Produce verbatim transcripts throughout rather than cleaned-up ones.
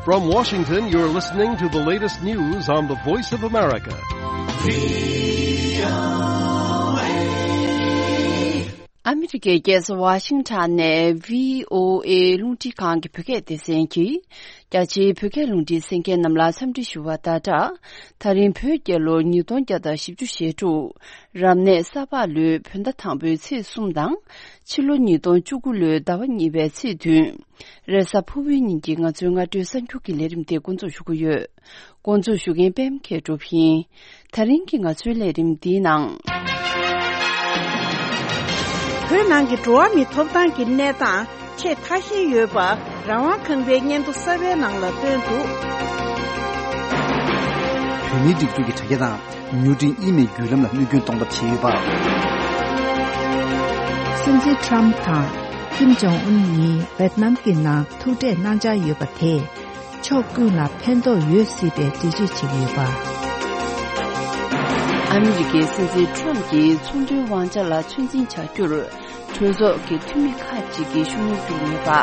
From Washington, you're listening to the latest news on the Voice of America. ཨ་མི་རི་ཀའི་རྒྱལ་ས་ཝ་ཤིང་ཊོན་ནས་བྷི་ཨོ་ཨེ་རླུང་འཕྲིན་ཁང་གི་བོད་སྐད་སྡེ་ཚན་གྱིས། རྒྱ་ཆེའི་བོད་སྐད་རླུང་འཕྲིན་གསན་མཁན་རྣམས་ལ་འཚམས་འདྲི་ཞུ་བ་དང་སྦྲགས། ད་རིང་བོད་རྒྱལ་ལོ་ཉིས་སྟོང་བརྒྱ་དང་བཞི་བཅུ་ཞེ་དྲུག་རབ་གནས་ས་ཕག་ལོའི་བོད་ཟླ་དང་པོའི་ཚེས་གསུམ་དང་། ཕྱི་ལོ་ཉིས་སྟོང་བཅུ་དགུ་ལོའི་ཟླ་བ་གཉིས་པའི་ཚེས་བདུན། རེས་གཟའ་ཕུར་བུའི་ཉིན་གྱི་ང་ཚོའི་སྔ་དྲོའི་གསར་འགྱུར་གྱི་ལས་རིམ་དེ་འགོ་འཛུགས་ཞུ་གི་ཡོད། འགོ་འཛུགས་ཞུ་མཁན་པད་མ་མཁས་གྲུབ་ཡིན། ད་རིང་གི་ང་ཚོའི་ལས་རིམ་འདིའི་ནང་། བོད་ནང་གི་འགྲོ་བ་མིའི་ཐོབ་ཐང་གི་གནས་སྟངས་ཆེས་ཐ་ཤལ་ཡོད་པ་རང་དབང་ཁང་པའི་སྙན་ཐོ་གསར་པའི་ནང་ལ་བཏོན་འདུག་བོད་མིའི་སྒྲིག་འཛུགས་ཀྱི་དྲ་རྒྱ་དང་མྱུར་འཕྲིན་ཨི་མེལ་བརྒྱུད་ལམ་ལ་མིག་སྐྱོན་གཏོང་ཐབས་བྱས་ཡོད་པ། སྲིད་འཛིན་ཁྲམ་དང་ཀིམ་ཇོང་ཨུན་གཉིས་ཝེད་ནམ་གྱི་ནང་ཐུག་འཕྲད་གནང་འཆར་ཡོད་པ་དེས། ཕྱོགས་ཀུན་ལ་ཕན་ཐོགས་ཡོད་སྲིད་པའི་འགྲེལ་བརྗོད་བྱེད་ཀྱི་ཡོད་པ། ཨ་མི་རི་ཀའི་སྲིད་འཛིན་ཁྲོམ་གྱིས་ཚོང་དོན་དབང་ཆ་ལ་ཚོད་འཛིན་བྱ་རྒྱུར་གྲོས་ཚོགས་ཀྱི་འཐུས་མི་ཁག་ཅིག་གིས་ཤུགས་སྣོན་བསྐྱུར་ཡོད་པ། དེ་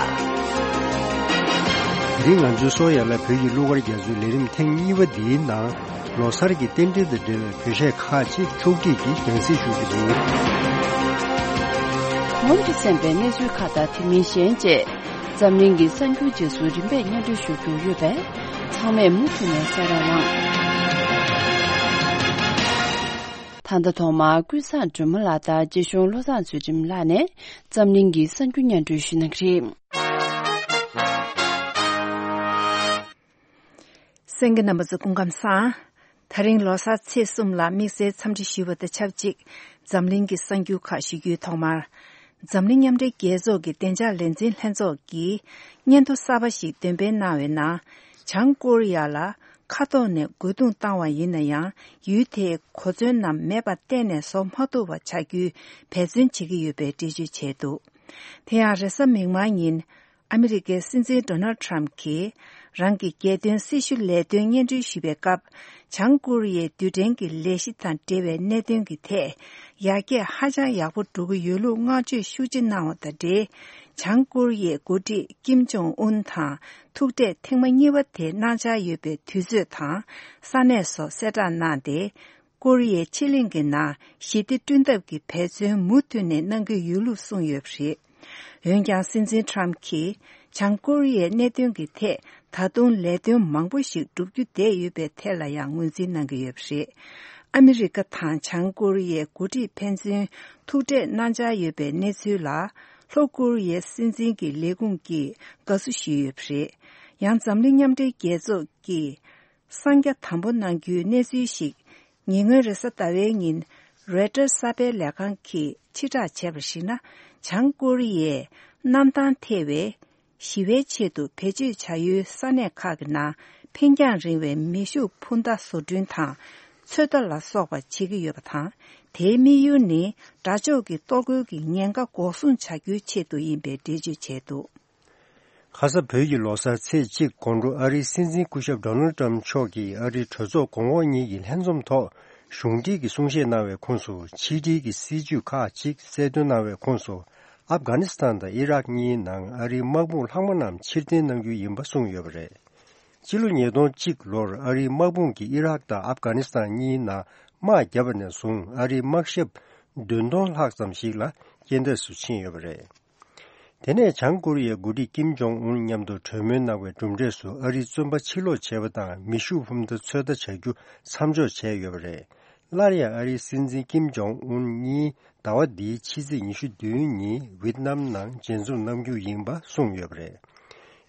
རིང་ང་ཚོའི་སོ་ཡ་ལ་བོད་ཀྱི་གླུ་གར་རྒྱ་མཚོའི་ལས་རིམ་ཐེངས་གཉིས་པ་འདིའི་ནང་ལོ་གསར་གྱི་རྟེན་འབྲེལ་དང་འབྲེལ་བའི་བོད་གཞས་ཁག་ཅིག་ཕྱོགས་སྒྲིག་གིས་རྒྱང་སྲིང་ཞུ་རྒྱུ་རེད། གོང་དུ་གསན་པའི་གནས་ཚུལ་ཁག་དང་དེ་མིན་གཞན་བཅས། འཛམ་གླིང་གི་གསར་འགྱུར་རྗེས་སུ་རིམ་པས་སྙན་སྒྲོན་ཞུ་རྒྱུ་ཡོད་པས། ཚང་མས་མུ་མཐུད་ནས་གསན་རོགས་གནང་། ད་ལྟ་ཐོག་མར་ཀུན་བཟང་སྒྲོལ་མ་ལགས་དང་རྗེ་གཞུང་བློ་བཟང་ཚུལ་ཁྲིམས་ལགས་ནས་འཛམ་གླིང་གི་གསར་འགྱུར་སྙན་སྒྲོན་ཞུ་གནང་གི་རེད། གསན་མཁན་རྣམ་པ་ཚོ་སྐུ་ཁམས་བཟང་། ད་རིང་ལོ་གསར་ཚེས་གསུམ་ལ་དམིགས་བསལ་འཚམས་འདྲི་ཞུ་བ་དང་ཆབས་ཅིག་འཛམ་གླིང་གི་གསར་འགྱུར་ཁག་ཞུ་རྒྱུའི་ཐོག་མར། འཛམ་གླིང་མཉམ་འབྲེལ་རྒྱལ་ཚོགས་ཀྱི་བདེ་འཇགས་ལས་འཛིན་ལྷན་ཚོགས་ཀྱིས་སྙན་ཐོ་གསར་པ་ཞིག་འདོན་སྤེལ་གནང་བའི་ནང་། བྱང་ཀོ་རི་ཡ་ལ་མཁའ་ཐོག་ནས་རྒོལ་རྡུང་བཏང་བ་ཡིན་ན་ཡང་། ཡུལ་དེའི་གོ་མཚོན་རྣམས་མེད་པ་གཏན་ནས་བཟོ་མ་ཐུབ་པ་བྱ་རྒྱུའི་འབད་བརྩོན་བྱེད་ཀྱི་ཡོད་པའི་འགྲེལ་བརྗོད་བྱས་འདུག་དེ་ཡང་རེས་གཟའ་མིག་དམར་ཉིན། ཨ་མི་རི་ཀའི་སྲིད་འཛིན་ཌོ་ནལ་ཊམ་གྱིས་རང་གི་རྒྱལ་དོན་སྲི་ཞུ་ལས་དོན་སྙན་སྒྲོན་ཞུ་བའི་སྐབས། བྱང་ཀོ་རི་ཡའི་རྡུལ་ཕྲན་གྱི་ལས་གཞི་དང་འབྲེལ་བའི་གནད་དོན་གྱི་ཐད། ཡར་རྒྱས་ཧ་ཅང་ཡག་པོ་འགྲོ་གི་ཡོད་ལུགས་བསྔགས་བརྗོད་ཤུགས་ཆེ་གནང་བ་དང་འབྲེལ། བྱང་ཀོ་རི་ཡའི་འགོ་ཁྲིད་ཀིམ་ཇོང་ཨུན་དང་ཐུག་འཕྲད་ཐེངས་མ་གཉིས་པ་དེ་གནང་འཆར་ཡོད་པའི་དུས་ཚོད་དང་ས་གནས་སོགས་གསལ་བསྒྲགས་གནང་སྟེ། ཀོ་རི་ཡའི་ཕྱེད་གླིང་གི་ནང་ཞི་བདེ་བསྐྲུན་ཐབས་ཀྱི་འབད་བརྩོན་མུ་མཐུད་ནས་གནང་གི་ཡོད་ལུགས་གསུངས་ཡོད་པ་རེད། འོན་ཀྱང་སྲིད་འཛིན་ཁྲམ་གྱིས་བྱང་ཀོ་རི་ཡའི་གནད་དོན་གྱི་ཐད་ད་དུང་ལས་དོན་མང་པོ་ཞིག་བསྒྲུབ་རྒྱུ་བསྡད་ཡོད་པའི་ཐད་ལ་ཡང་ངོས་འཛིན་གནང་གི་ཡོད་པ་རེད། ཨ་མི་རི་ཀ་དང་བྱང་ཀོ་རི་ཡའི་འགོ་ཁྲིད་ཕན་ཚུན་ཐུག་འཕྲད་གནང་འཆར་ཡོད་པའི་གནས་ཚུལ་ལ་ལྷོ་ཀོ་རི་ཡའི་སྲིད་འཛིན་གྱི་ལས་ཁུངས་ཀྱིས་དགའ་བསུ་ཞུས་ཡོད་པ་རེད། ཡང་འཛམ་གླིང་མཉམ་འབྲེལ་རྒྱལ་ཚོགས་ཀྱིས། གསང་རྒྱ་དམ་པོ་གནང་རྒྱུའི་གནས་ཚུལ་ཞིག་ཉེ་སྔོན་རེས་གཟའ་ཟླ་བའི་ཉིན་རོའི་ཊར་གསར་སྤེལ་ལས་ཁང་གིས་ཕྱིར་བསྒྲགས་བྱས་པར་གཞིགས་ན། བྱང་ཀོ་རི་ཡས་གནམ་ཐང་ཐེ་བའི་ཞི་བའི་ཆེད་དུ་བེད་སྤྱོད་བྱ་ཡུལ་ས་གནས་ཁག་གི་ནང་འཕེན་རྒྱང་རིང་བའི་མེ་ཤུགས་འཕུར་མདའ་བཟོ་སྐྲུན་དང་ཚོད་ལྟ་ལ་སོགས་པ་བྱེད་ཀྱི་ཡོད་པ་དང་། དེའི་དམིགས་ཡུལ་ནི་དགྲ་ཕྱོགས་ཀྱི་གཏོར་རྒོལ་གྱི་ཉེན་ཁ་འགོག་སྲུང་བྱ་རྒྱུའི་ཆེད་དུ་ཡིན་པའི་འགྲེལ་བརྗོད་བྱས་འདུག་ཁ་ས་བོད་ཀྱི་ལོ་གསར་ཚེས་གཅིག་དགོང་དྲོ་ཨ་རིའི་སྲིད་འཛིན་སྐུ་ཞབས་ཌོ་ནལ་ཊམ་མཆོག་གིས་ཨ་རིའི་གྲོས་ཚོགས་གོང་འོག་གཉིས་ཀྱི་ལྷན་འཛོམས་ཐོག་གཞུང་འབྲེལ་གྱི་གསུང་བཤད་གནང་བའི་ཁོངས་སུ། ཕྱི་འབྲེལ་གྱི་སྲིད་ཇུས་ཁག་ཅིག་གསལ་སྟོན་གནང་བའི་ཁོངས་སུ། ཨབ་གྷ་ནི་སི་ཐན་དང་ཨི་རག་གཉིས་ནང་ཨ་རིའི་དམག་དཔུང་ལྷག་མ་རྣམས་ཕྱིར་འཐེན་གནང་རྒྱུ་ཡིན་པ་གསུངས་ཡོད་པ་རེད། ཕྱི་ལོ་ཉིས་སྟོང་གཅིག་ལོར་ཨ་རིའི་དམག་དཔུང་གིས་ཨི་རག་དང་ཨབ་གྷ་ནི་སི་ཐན་གཉིས་ནང་དམག་བརྒྱབ་པ་ནས་བཟུང་ཨ་རིའི་དམག་ཞབས་བདུན་སྟོང་ལྷག་ཙམ་ཞིག་ལ་རྐྱེན་འདས་སུ་ཕྱིན་ཡོད་པ་རེད། དེ་ནས་བྱང་ཀོ་རི་ཡའི་འགོ་ཁྲིད་ཀིམ་ཇོང་ཨུན་མཉམ་དུ་གྲོས་མོལ་གནང་བའི་གྲུབ་འབྲས་སུ་ཨ་རིའི་བཙོན་པ་ཕྱིར་སློག་བྱས་པ་དང་མེ་ཤུགས་འཕུར་མདའ་ཚོད་ལྟ་བྱ་རྒྱུ་མཚམས་འཇོག་བྱས་ཡོད་པ་རེད། སླར་ཡང་ཨ་རིའི་སྲིད་འཛིན་ཀིམ་ཇོང་ཨུན་གཉིས་ཟླ་བ་འདིའི་ཕྱི་ཚེས་ཉི་ཤུ་བདུན་ཉིན་ཝེད་ནམ་ནང་མཇལ་འཛོམས་གནང་རྒྱུ་ཡིན་པ་གསུངས་ཡོད་པ་རེད།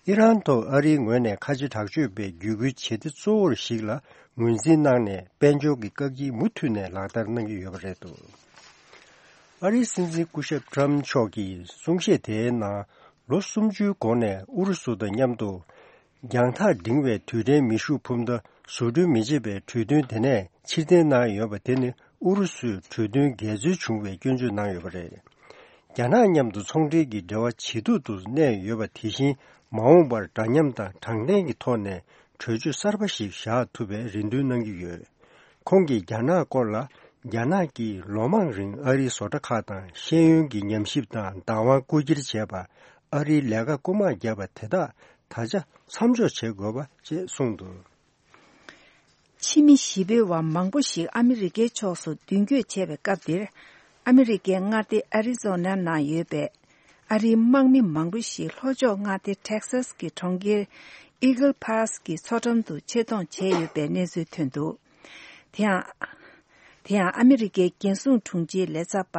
ཨི་རན་ཐོག་ཨ་རིའི་ངོས་ནས་ཁ་ཆེ་དྲག་སྤྱོད་པའི་བརྒྱུད་སྐུལ་བྱེད་གཏེ་གཙོ་བོར་ཞིག་ལ་ངོས་འཛིན་གནང་ནས་དཔལ་འབྱོར་གྱི་བཀག་སྐྱིལ་མུ་མཐུད་ནས་ལག་བསྟར་གནང་གི་ཡོད་པ་རེད་འདུག་ཨ་རིའི་སྲིད་འཛིན་སྐུ་ཞབས་ཊམ་མཆོག་གིས་གསུང་བཤད་དེའི་ནང་ལོ་སུམ་ཅུའི་གོང་ནས་ཨུ་རུ་སུ་དང་མཉམ་དུ་རྒྱང་ཐག་འབྲིང་བའི་རྡུལ་ཕྲན་མེ་ཤུགས་འཕུར་མདའ་བཟོ་སྐྲུན་མི་བྱེད་པའི་གྲོས་མཐུན་དེ་ནས་ཕྱིར་འཐེན་གནང་ཡོད་པ་དེ་ནི་ཨུ་རུ་སུས་གྲོས་མཐུན་འགལ་འཛོལ་བྱུང་བའི་སྐྱོན་བརྗོད་གནང་ཡོད་པ་རེད། རྒྱ་ནག་མཉམ་དུ་ཚོང་འབྲེལ་གྱི་འབྲེལ་བ་ཇེ་སྡུག་ཏུ་གནས་ཡོད་པ་དེ་བཞིན་མ་འོངས་པར་འདྲ་མཉམ་དང་དྲང་བདེན་གྱི་ཐོག་ནས་གྲོས་ཆོད་གསར་པ་ཞིག་བཞག་ཐུབ་པའི་རེ་འདུན་གནང་གི་ཡོད། ཁོང་གིས་རྒྱ་ནག་སྐོར་ལ། རྒྱ་ནག་གིས་ལོ་མང་རིང་ཨ་རིའི་བཟོ་གྲྭ་ཁག་དང་ཤེས་ཡོན་གྱི་ཉམས་ཞིབ་དང་བདག་དབང་རྐུ་འཁྱེར་བྱས་པ། ཨ་རིའི་ལས་ཀ་རྐུ་མ་བརྒྱབ་པ་དེ་དག་ ད་ཆ་མཚམས་འཇོག་བྱེད་དགོས་པ་བཅས་གསུངས་འདུག། ཕྱི་མི་གཞིས་སྤོས་པ་མང་པོ་ཞིག་ཨ་མི་རི་ཀའི་ཕྱོགས་སུ་མདུན་སྐྱོད་བྱས་པའི་སྐབས་འདིར། ཨ་མི་རི་ཀའི་མངའ་སྡེ་ཨ་རི་ཛོ་ན་ནང་ཡོད་པའི་ཨ་རིའི་དམག་མི་མང་པོ་ཞིག་ལྷོ་ཕྱོགས་མངའ་སྡེ་ཊེག་སཱས་ཀྱི་གྲོང་ཁྱེར་ཨི་གལ་ཕཱ་སི་ཀྱི་མཚོ་འགྲམ་དུ་ཆེད་གཏོང་བྱས་ཡོད་པའི་གནས་ཚུལ་ཐོན་འདུག། དེ་ཡང་། དེ་ཡང་ཨ་མི་རི་ཀའི་རྒྱལ་སྲུང་དྲུང་ཆེའི་ལས་ཚབ་པ་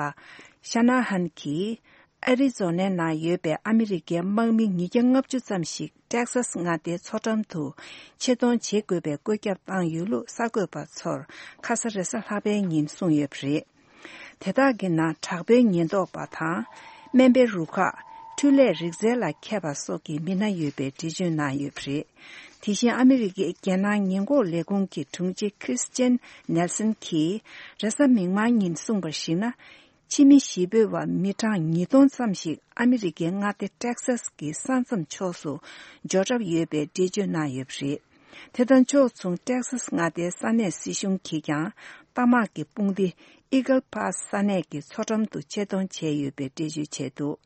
ཤ་ན་ཧན་གྱིས། ཨ་རི་ཛོ་ན་ནང་ཡོད་པའི་ཨ་མི་རི་ཀའི་དམག་མི་ཉིས་བརྒྱ་ལྔ་བཅུ་ཙམ་ཞིག་ཊེག་སཱས་མངའ་སྡེའི་མཚོ་འགྲམ་དུ་ཆེད་གཏོང་བྱེད་དགོས་པའི་བཀོད་ཁྱབ་བཏང་ཡོད་ལུགས་གསར་འགོད་པ་ཚོར་ཁ་ས་རེས་གཟའ་ལྷག་པའི་ཉིན་གསུངས་ཡོད་པ་རེད། དེ་དག་གི་ནང་དྲག་པོའི་ཉེན་རྟོག་པ་དང་། སྨན་པའི་རུ་ཁག་འཕྲུལ་ལས་རིག་རྩལ་ལ་མཁས་པ་སོགས་ཀྱི་མི་སྣ་ཡོད་པའི་འགྲེལ་བརྗོད་གནང་ཡོད་པ་རེད། དེ་བཞིན་ཨ་མི་རི་ཀའི་རྒྱལ་ནང་ཉེན་འགོག་ལས་ཁུངས་ཀྱི་དྲུང་ཆེ་ཁྲིས་ཅན་ནེལ་སན་གྱིས་རེས་གཟའ་མིག་དམར་ཉིན་གསུངས་པར་གཞིགས་ན། ཕྱི་མི་གཞིས་སྤོས་པ་མི་གྲངས་ཉིས་སྟོང་ཙམ་ཞིག་ཨ་མི་རི་ཀའི་མངའ་སྡེ་ཊེག་སཱས་ཀྱི་ས་མཚམས་ཕྱོགས་སུ་འབྱོར་གྲབས་ཡོད་པའི་འགྲེལ་བརྗོད་གནང་ཡོད་པ་རེད། དེ་དང་ཕྱོགས་མཚུངས་ཊེག་སཱས་མངའ་སྡེའི་ས་གནས་སྲིད་གཞུང་གིས་ཀྱང་རྟ་དམག་གི་དཔུང་སྡེ་ཨི་གལ་ཕཱ་སི་ས་གནས་ཀྱི་མཚོ་འགྲམ་དུ་ཆེད་གཏོང་བྱས་ཡོད་པའི་འགྲེལ་བརྗོད་བྱས་འདུག།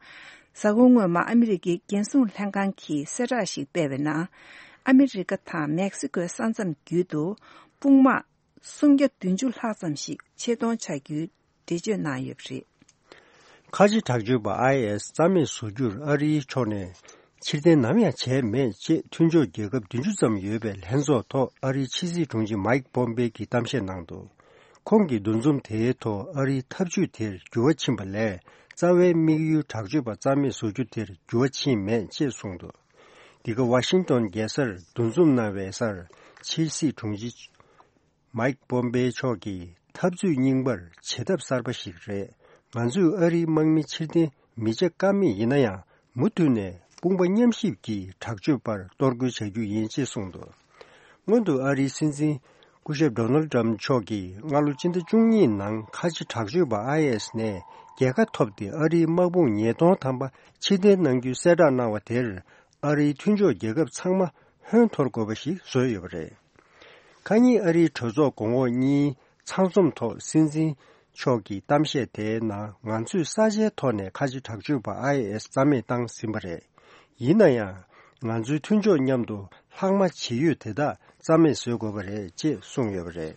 གཟའ་འཁོར་སྔོན་མ་ཨ་མི་རི་ཀའི་རྒྱལ་སྲུང་ལྷན་ཁང་གིས་གསལ་བསྒྲགས་ཤིག་སྤེལ་བའི་ནང་། ཨ་མི་རི་ཀ་དང་མེག་སི་ཀོའི་ས་མཚམས་བརྒྱུད་དུ་དཔུང་དམག་སུམ་བརྒྱ་བདུན་ཅུ་ལྷག་ཙམ་ཞིག་ཆེད་གཏོང་བྱ་རྒྱུའི་འགྲེལ་བརྗོད་གནང་ཡོད་པ་རེད། ཁ་ཆེ་དྲག་སྤྱོད་པ་ཨའི་ཨེས་རྩ་མེད་བཟོ་རྒྱུར་ཨ་རིའི་ཕྱོགས་ནས་ཕྱིར་འཐེན་ནམ་ཡང་བྱས་མེད་ཅེས་མཐུན་ཕྱོགས་རྒྱལ་ཁབ་བདུན་ཅུ་ཙམ་ཡོད་པའི་ལྷན་ཚོགས་ཐོག་ཨ་རིའི་ཕྱི་སྲིད་དྲུང་ཆེ་མཱིག་པོམ་པེ་གིས་གཏམ་བཤད་གནང་འདུག། ཁོང་གིས་འདུ་འཛོམས་དེའི་ཐོག་ཨ་རིའི་ཐབས་ཇུས་དེར་འགྱུར་བ་ཕྱིན་པ་ལས་རྩ་བའི་དམིགས་ཡུལ་དྲག་སྤྱོད་པ་རྩ་མེད་བཟོ་རྒྱུ་དེར་འགྱུར་བ་ཕྱིན་མེད་ཅེས་གསུངས་འདུག། འདི་ག་ཝ་ཤིང་ཏོན་རྒྱལ་སར་འདུ་འཛོམས་གནང་བའི་སར་ཕྱི་སྲིད་དྲུང་ཆེ་མཱིག་པོམ་པེ་མཆོག་གིས་འཐབ་རྩོད་རྙིང་པར་བྱེད་ཐབས་གསར་པ་ཞིག་རེད། ང་ཚོས་ཨ་རིའི་དམག་མི་ཕྱིར་འཐེན་མི་བྱེད་ཀ་མེད་ཡིན་ན་ཡང་མུ་མཐུད་ནས་དཔུང་པ་མཉམ་གཤིབ་ཀྱིས་དྲག་སྤྱོད་པར་གཏོར་རྒོལ་བྱ་རྒྱུ་ཡིན་ཅེས་གསུངས་འདུག། སྔོན་དུ་ཨ་རིའི་སྲིད་འཛིན་སྐུ་ཞབས་ཌོ་ནལ་ཏྲམ་མཆོག་གིས་སྔ་ལོ་སྤྱི་ཟླ་བཅུ་གཉིས་ནང་ཁ་ཆེ་དྲག་སྤྱོད་པ་ཨའི་ཨེས་ནས་རྒྱལ་ཁ་ཐོབ་སྟེ་ཨ་རིའི་དམག་དཔུང་ཉིས་སྟོང་ཐམ་པ་ཕྱིར་འཐེན་གནང་རྒྱུའི་གསལ་བསྒྲགས་གནང་བ་དེར། ཨ་རིའི་མཐུན་ཕྱོགས་རྒྱལ་ཁབ་ཚང་མ་ཧོན་འཐོར་དགོས་པ་ཞིག་བཟོས་ཡོད་པ་རེད། ཁ་ཉིན་ཨ་རིའི་གྲོས་ཚོགས་གོང་འོག་གཉིས་ཚང་འཛོམས་ཐོག་སྲིད་འཛིན་མཆོག་གི་གཏམ་བཤད་དེའི་ནང་ང་ཚོས་ས་ཆའི་ཐོག་ནས་ཁ་ཆེ་དྲག་སྤྱོད་པ་ཨའི་ཨེས་རྩ་མེད་བཏང་ཟིན་པ་རེད། ཡིན་ན་ཡང་ང་ཚོའི་མཐུན་ཕྱོགས་མཉམ་དུ་ལྷག་མ་ཇི་ཡོད་དེ་དག་རྩ་མེད་བཟོ་དགོས་པ་རེད་ཅེས་གསུངས་ཡོད་པ་རེད།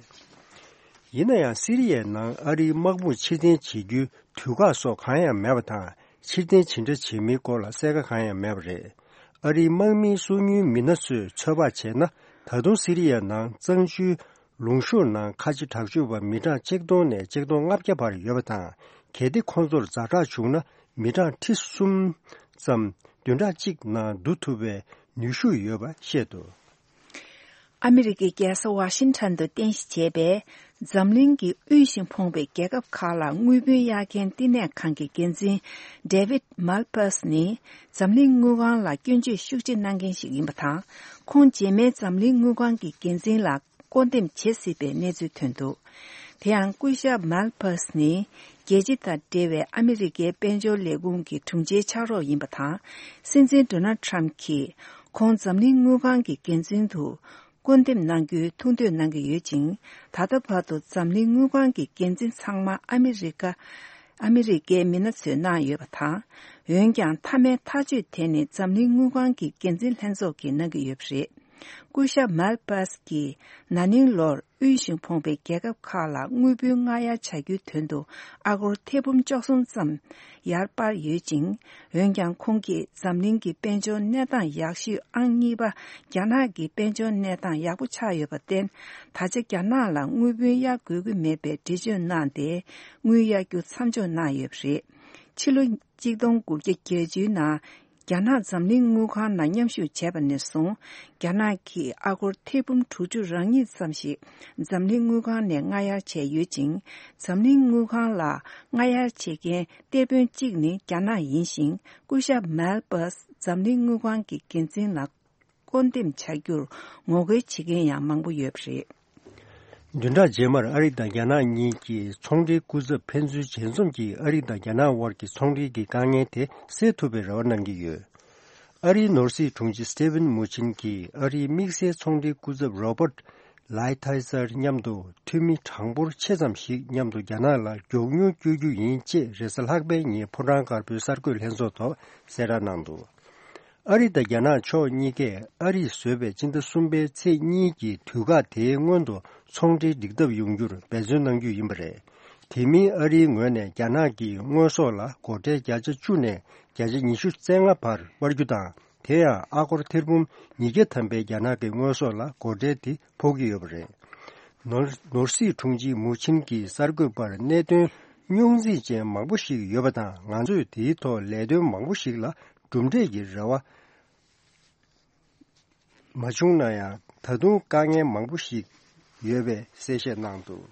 ཡིན་ན་ཡང་སི་རི་ཡའི་ནང་ཨ་རིའི་དམག་དཔུང་ཕྱིར་འཐེན་བྱེད་རྒྱུའི་དུས་བཀག་སོགས་གང་ཡང་མེད་པ་དང་། ཕྱིར་འཐེན་ཇི་འདྲ་བྱེད་མིན་སྐོར་ལ་གསལ་ཁ་གང་ཡང་མེད་པ་རེད། ཨ་རིའི་དམག་མིའི་སོ་ཉུལ་མི་སྣ་ཚོས་ཚོད་དཔག་བྱས་ན། ད་དུང་སི་རི་ཡའི་ནང་གཙང་ཆུའི་ལུང་གཤོང་ནང་ཁ་ཆེ་དྲག་སྤྱོད་པ་མི་གྲངས་ཆིག་སྟོང་ནས་ཆིག་སྟོང་ལྔ་བརྒྱ་བར་ཡོད་པ་དང་། གལ་ཏེ་ཁོང་ཚོར་ཛ་དྲག་བྱུང་ན། མི་གྲངས་ཁྲི་གསུམ་ཙམ་བདུན་ཕྲག་གཅིག་ནང་བསྡུ་ཐུབ་པའི་ནུས་ཤུགས་ཡོད་པ་བཤད་འདུག། ཨ་མི་རི་ཀའི་རྒྱལ་ས་ཝ་ཤིང་ཊོན་དུ་རྟེན་གཞི་བྱས་པའི་འཛམ་གླིང་གི་དབུལ་ཞིང་ཕོངས་པའི་རྒྱལ་ཁབ་ཁག་ལ་དངུལ་བུན་གཡར་མཁན་བསྟི་གནས་ཁང་གི་འགན་འཛིན་David Malpass ནི་འཛམ་གླིང་དངུལ་ཁང་ལ་སྐྱོན་བརྗོད་ཤུགས་ཆེ་གནང་མཁན་ཞིག་ཡིན་པ་དང་། ཁོང་རྗེས་མའི་འཛམ་གླིང་དངུལ་ཁང་གི་འགན་འཛིན་ལ་བསྐོ་འདེམས་བྱེད་སྲིད་པའི་གནས་ཚུལ་ཐོན་འདུག། དེ་ཡང་སྐུ་ཞབས་Malpass ནི་རྒྱལ་སྤྱི་དང་འབྲེལ་བའི་ཨ་མི་རི་ཀའི་དཔལ་འབྱོར་ལས་ཁུངས་ཀྱི་དྲུང་ཆེའི་ཕྱག་རོགས་ཡིན་པ་དང་། སྲིད་འཛིན་Donald Trump གྱིས་ཁོང་འཛམ་གླིང་དངུལ་ཁང་གི་འགན་འཛིན་དུ་བསྐོ་འདེམས་གནང་རྒྱུའི་ཐུགས་འདོད་གནང་གི་ཡོད་ཅིང་། ད་ལྟ་བར་དུ་འཛམ་གླིང་དངུལ་ཁང་གི་འགན་འཛིན་ཚང་མ་ཨ་མི་རི་ཀ་ཨ་མི་རི་ཀའི་མི་སྣ་ཚོས་གནང་ཡོད་པ་དང་། འོན་ཀྱང་མཐའ་མའི་ཐག་གཅོད་དེ་ནི་འཛམ་གླིང་དངུལ་ཁང་གི་འགན་འཛིན་ལྷན་ཚོགས་ཀྱིས་གནང་གི་ཡོད་པ་རེད། སྐུ་ཞབས་Malpass གིས་ན་ནིང་ལོར་དབུལ་ཞིང་ཕོངས་པའི་རྒྱལ་ཁབ་ཁག་ལ་དངུལ་བུན་སྔ་གཡར་བྱ་རྒྱུའི་དོན་དུ་ཨ་སྒོར་ཐེར་འབུམ་བཅུ་གསུམ་ཙམ་ཡར་སྤར་ཡོད་ཅིང་། འོན་ཀྱང་ཁོང་གིས་འཛམ་གླིང་གི་དཔལ་འབྱོར་གནས་སྟངས་ཡག་ཤོས་ཨང་གཉིས་པ་རྒྱ་ནག་གི་དཔལ་འབྱོར་གནས་སྟངས་ཡག་པོ་ཆགས་ཡོད་པར་བརྟེན། ད་ཆ་རྒྱ་ནག་ལ་དངུལ་བུན་གཡར་དགོས་ཀྱི་མེད་པའི་འགྲེལ་བརྗོད་གནང་སྟེ། དངུལ་གཡར་རྒྱུ་མཚམས་འཇོག་གནང་ཡོད་པ་རེད། ཕྱི་ལོ་གཅིག་སྟོང་དགུ་བརྒྱ་བརྒྱད་ཅུའི་ནང་། རྒྱ་ནག་འཛམ་གླིང་དངུལ་ཁང་ནང་མཉམ་ཞུགས་བྱས་པ་ནས་བཟུང་། རྒྱ་ནག་གིས་ཨ་སྒོར་ཐེར་འབུམ་དྲུག་ཅུ་རེ་གཉིས་ཙམ་ཞིག་འཛམ་གླིང་དངུལ་ཁང་ནས་སྔ་གཡར་བྱས་ཡོད་ཅིང་། འཛམ་གླིང་དངུལ་ཁང་ལ་སྔ་གཡར་བྱེད་མཁན་གཏེར་དཔོན་གཅིག་ནི་རྒྱ་ནག་ཡིན་ཞིང་། སྐུ་ཞབས་Malpass འཛམ་གླིང་དངུལ་ཁང་གི་འགན་འཛིན་ལ་བསྐོ་འདེམས་བྱ་རྒྱུར་ངོ་རྒོལ་བྱེད་མཁན་ཡང་མང་པོ་ཡོད་པ་རེད། བདུན་ཕྲག་རྗེས་མར་ཨ་རི་དང་རྒྱ་ནག་གཉིས་ཀྱི་ཚོང་འབྲེལ་སྐུ་ཚབ་ཕན་ཚུན་ཞལ་འཛོམས་ཀྱིས་ཨ་རི་དང་རྒྱ་ནག་དབར་གྱི་ཚོང་འབྲེལ་གྱི་དཀའ་ངལ་དེ་སེལ་ཐུབ་པའི་རེ་བ་གནང་གི་ཡོད། ཨ་རིའི་ནོར་སྲིད་དྲུང་ཆེ་Steven Mnuchin གྱིས་ཨ་རིའི་དམིགས་བསལ་ཚོང་འབྲེལ་སྐུ་ཚབ་Robert Lighthizer མཉམ་དུ་འཐུས་མི་གྲངས་འབོར་ཆེ་ཙམ་ཞིག་མཉམ་དུ་རྒྱ་ནག་ལ་མགྱོགས་མྱུར་བསྐྱོད་རྒྱུ་ཡིན་ཅེས་རེས་གཟའ་ལྷག་པའི་ཉིན་ཕོ་བྲང་དཀར་པོའི་གསར་འགོད་ལྷན་ཚོགས་ཐོག་གསལ་བསྒྲགས་གནང་འདུག། ཨ་རི་དང་རྒྱ་ནག་ཕྱོགས་གཉིས་ཀས་ཨ་རིས་བཟོས་པའི་སྤྱི་ཟླ་གསུམ་པའི་ཚེས་གཉིས་ཀྱི་དུས་བཀག་དེའི་སྔོན་དུ་ཚོང་འབྲེལ་སྒྲིག་ཐབས་ཡོང་རྒྱུར་འབད་བརྩོན་གནང་རྒྱུ་ཡིན་པ་རེད། དེ་མིན་ཨ་རིའི་ངོས་ནས་རྒྱ་ནག་གི་དངོས་ཟོག་ལ་སྒོ་ཁྲལ་བརྒྱ་ཆ་བཅུ་ནས་བརྒྱ་ཆ་ཉི་ཤུ་རྩ་ལྔ་བར་སྤར་རྒྱུ་དང་། དེ་ཡང་ཨ་སྒོར་ཐེར་འབུམ་ཉིས་བརྒྱ་ཐམ་པའི་རྒྱ་ནག་གི་དངོས་ཟོག་ལ་སྒོ་ཁྲལ་དེ་ཕོག་གི་ཡོད་པ་རེད། ནོར་ནོར་སྲིད་དྲུང་ཆེ་མུ་ཆིན་གྱིས་གསར་འགོད་པར་གནད་དོན་རྙོག་འཛིང་ཅན་མང་པོ་ཞིག་ཡོད་པ་དང་། ང་ཚོས་དེའི་ཐོག་ལས་དོན་མང་པོ་ཞིག་ལ་གྲུབ་འབྲས་ཀྱི་རེ་བ་མ་བྱུང་ན་ཡང་། ད་དུང་དཀའ་ངལ་མང་པོ་ཞིག་ཡོད་པའི་གསལ་བཤད་གནང་འདུག་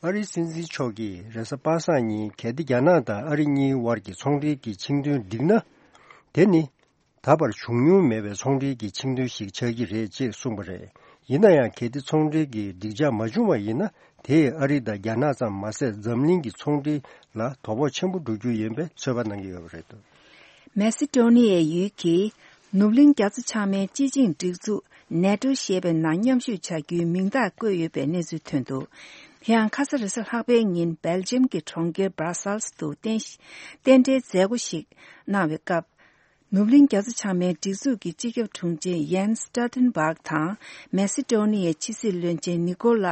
ཨ་རིའི་སྲིད་འཛིན་མཆོག་གིས་རེས་གཟའ་པ་སངས་ཉིན། གལ་ཏེ་རྒྱ་ནག་དང་ཨ་རི་གཉིས་དབར་གྱི་ཚོང་འབྲེལ་གྱི་ཆིངས་དོན་འགྲིག་ན། དེ་ནི་ད་བར་བྱུང་མྱོང་མེད་པའི་ཚོང་འབྲེལ་གྱི་ཆིངས་དོན་ཞིག་ཆགས་ཀྱི་རེད་ཅེས་གསུངས་པ་རེད། ཡིན་ན་ཡང་། གལ་ཏེ་ཚོང་འབྲེལ་གྱི་འགྲིག་འཇགས་མ་བྱུང་བ་ཡིན་ན། དེས་ཨ་རི་དང་རྒྱ་ནག་ཙམ་མ་ཟད། འཛམ་གླིང་གི་ཚོང་འབྲེལ་ལ་དོ་ཕོག་ཆེན་པོ་འགྲོ་རྒྱུ་ཡིན་པའི་ཚོད་དཔག་གནང་གི་ཡོད་པ་རེད། མེ་སི་ཏྲོ་ནི་ཡའི་ཡུལ་གྱིས་ནུབ་གླིང་རྒྱ་མཚོ་བྱང་མའི་སྤྱི་ཆིངས་སྒྲིག་འཛུགས་ནེ་ཏྲོ་ཞེས་པའི་ནང་མཉམ་ཞུགས་བྱ་རྒྱུའི་མིང་རྟགས་བཀོད་ཡོད་པའི་གནས་ཚུལ་ཐོན་འདུག་དེ་ཡང་ཁ་ས་རེས་གཟའ་ལྷག་པའི་ཉིན་སྦེལ་ཇམ་གྱི་གྲོང་ཁྱེར་བྷ་ར་སལ་སི་དུ་རྟེན་རྟེན་འབྲེལ་མཛད་སྒོ་ཞིག་གནང་བའི་སྐབས། ནུབ་གླིང་རྒྱ་མཚོ་བྱང་མའི་སྒྲིག་འཛུགས་ཀྱི་སྤྱི་ཁྱབ་དྲུང་ཆེ་ཡན་སི་སྟོལ་ཏན་སྦག་དང་། མེ་སི་ཏྲོ་ནི་ཡའི་ཕྱི་སྲིད་བློན་ཆེན་ནི་ཀོ་ལ་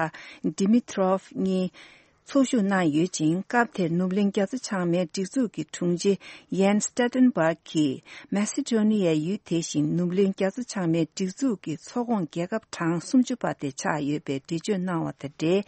ཌི་མི་ཏྲོབ་གཉིས་ཚོགས་ཞུགས་གནང་ཡོད་ཅིང་། སྐབས་དེར་ནུབ་གླིང་རྒྱ་མཚོ་བྱང་མའི་སྒྲིག་འཛུགས་ཀྱི་དྲུང་ཆེ་ཡན་སི་སྟོལ་ཏན་སྦག་གིས། མེ་སི་ཏྲོ་ནི་ཡའི་ཡུལ་དེ་བཞིན་ནུབ་གླིང་རྒྱ་མཚོ་བྱང་མའི་སྒྲིག་འཛུགས་ཀྱི་ཚོགས་ཁོངས་རྒྱལ་ཁབ་གྲངས་སུམ་ཅུ་པ་དེ་ཆགས་ཡོད་པའི་འགྲེལ་བརྗོད་གནང་བ་དང་འབྲེལ།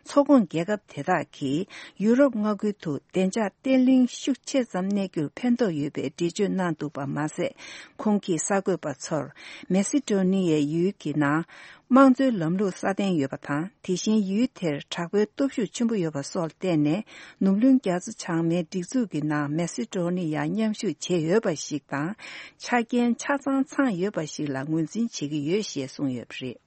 ཚོགས་ཁོངས་རྒྱལ་ཁབ་དེ་དག་གིས་ཡུ་རོབ་མངའ་ཁུལ་དུ་བདེ་འཇགས་བརྟན་ལྷིང་ཤུགས་ཆེ་ཙམ་གནས་རྒྱུར་ཕན་ཐོགས་ཡོད་པའི་འགྲེལ་བརྗོད་གནང་འདུག་པ་མ་ཟད། ཁོང་གིས་གསར་འགོད་པ་ཚོར། མེ་སི་ཏྲོ་ནི་ཡའི་ཡུལ་གྱི་ནང་དམངས་གཙོའི་ལམ་ལུགས་སྲ་བརྟན་ཡོད་པ་དང་། དེ་བཞིན་ཡུལ་དེར་དྲག་པོའི་སྟོབས་ཤུགས་ཆེན་པོ་ཡོད་པ་སོགས་ལ་བརྟེན་ནས། ནུབ་གླིང་རྒྱ་མཚོ་བྱང་མའི་སྒྲིག་འཛུགས་ཀྱི་ནང་མེ་སི་ཏྲོ་ནི་ཡ་མཉམ་ཞུགས་བྱས་ཡོད་པ་ཞིག་དང་། ཆ་རྐྱེན་ཆ་ཚང་ཚང་ཡོད་པ་ཞིག་ལ་ངོས་འཛིན་བྱེད་ཀྱི་ཡོད་ཞེས་གསུངས་ཡོད་པ་རེད།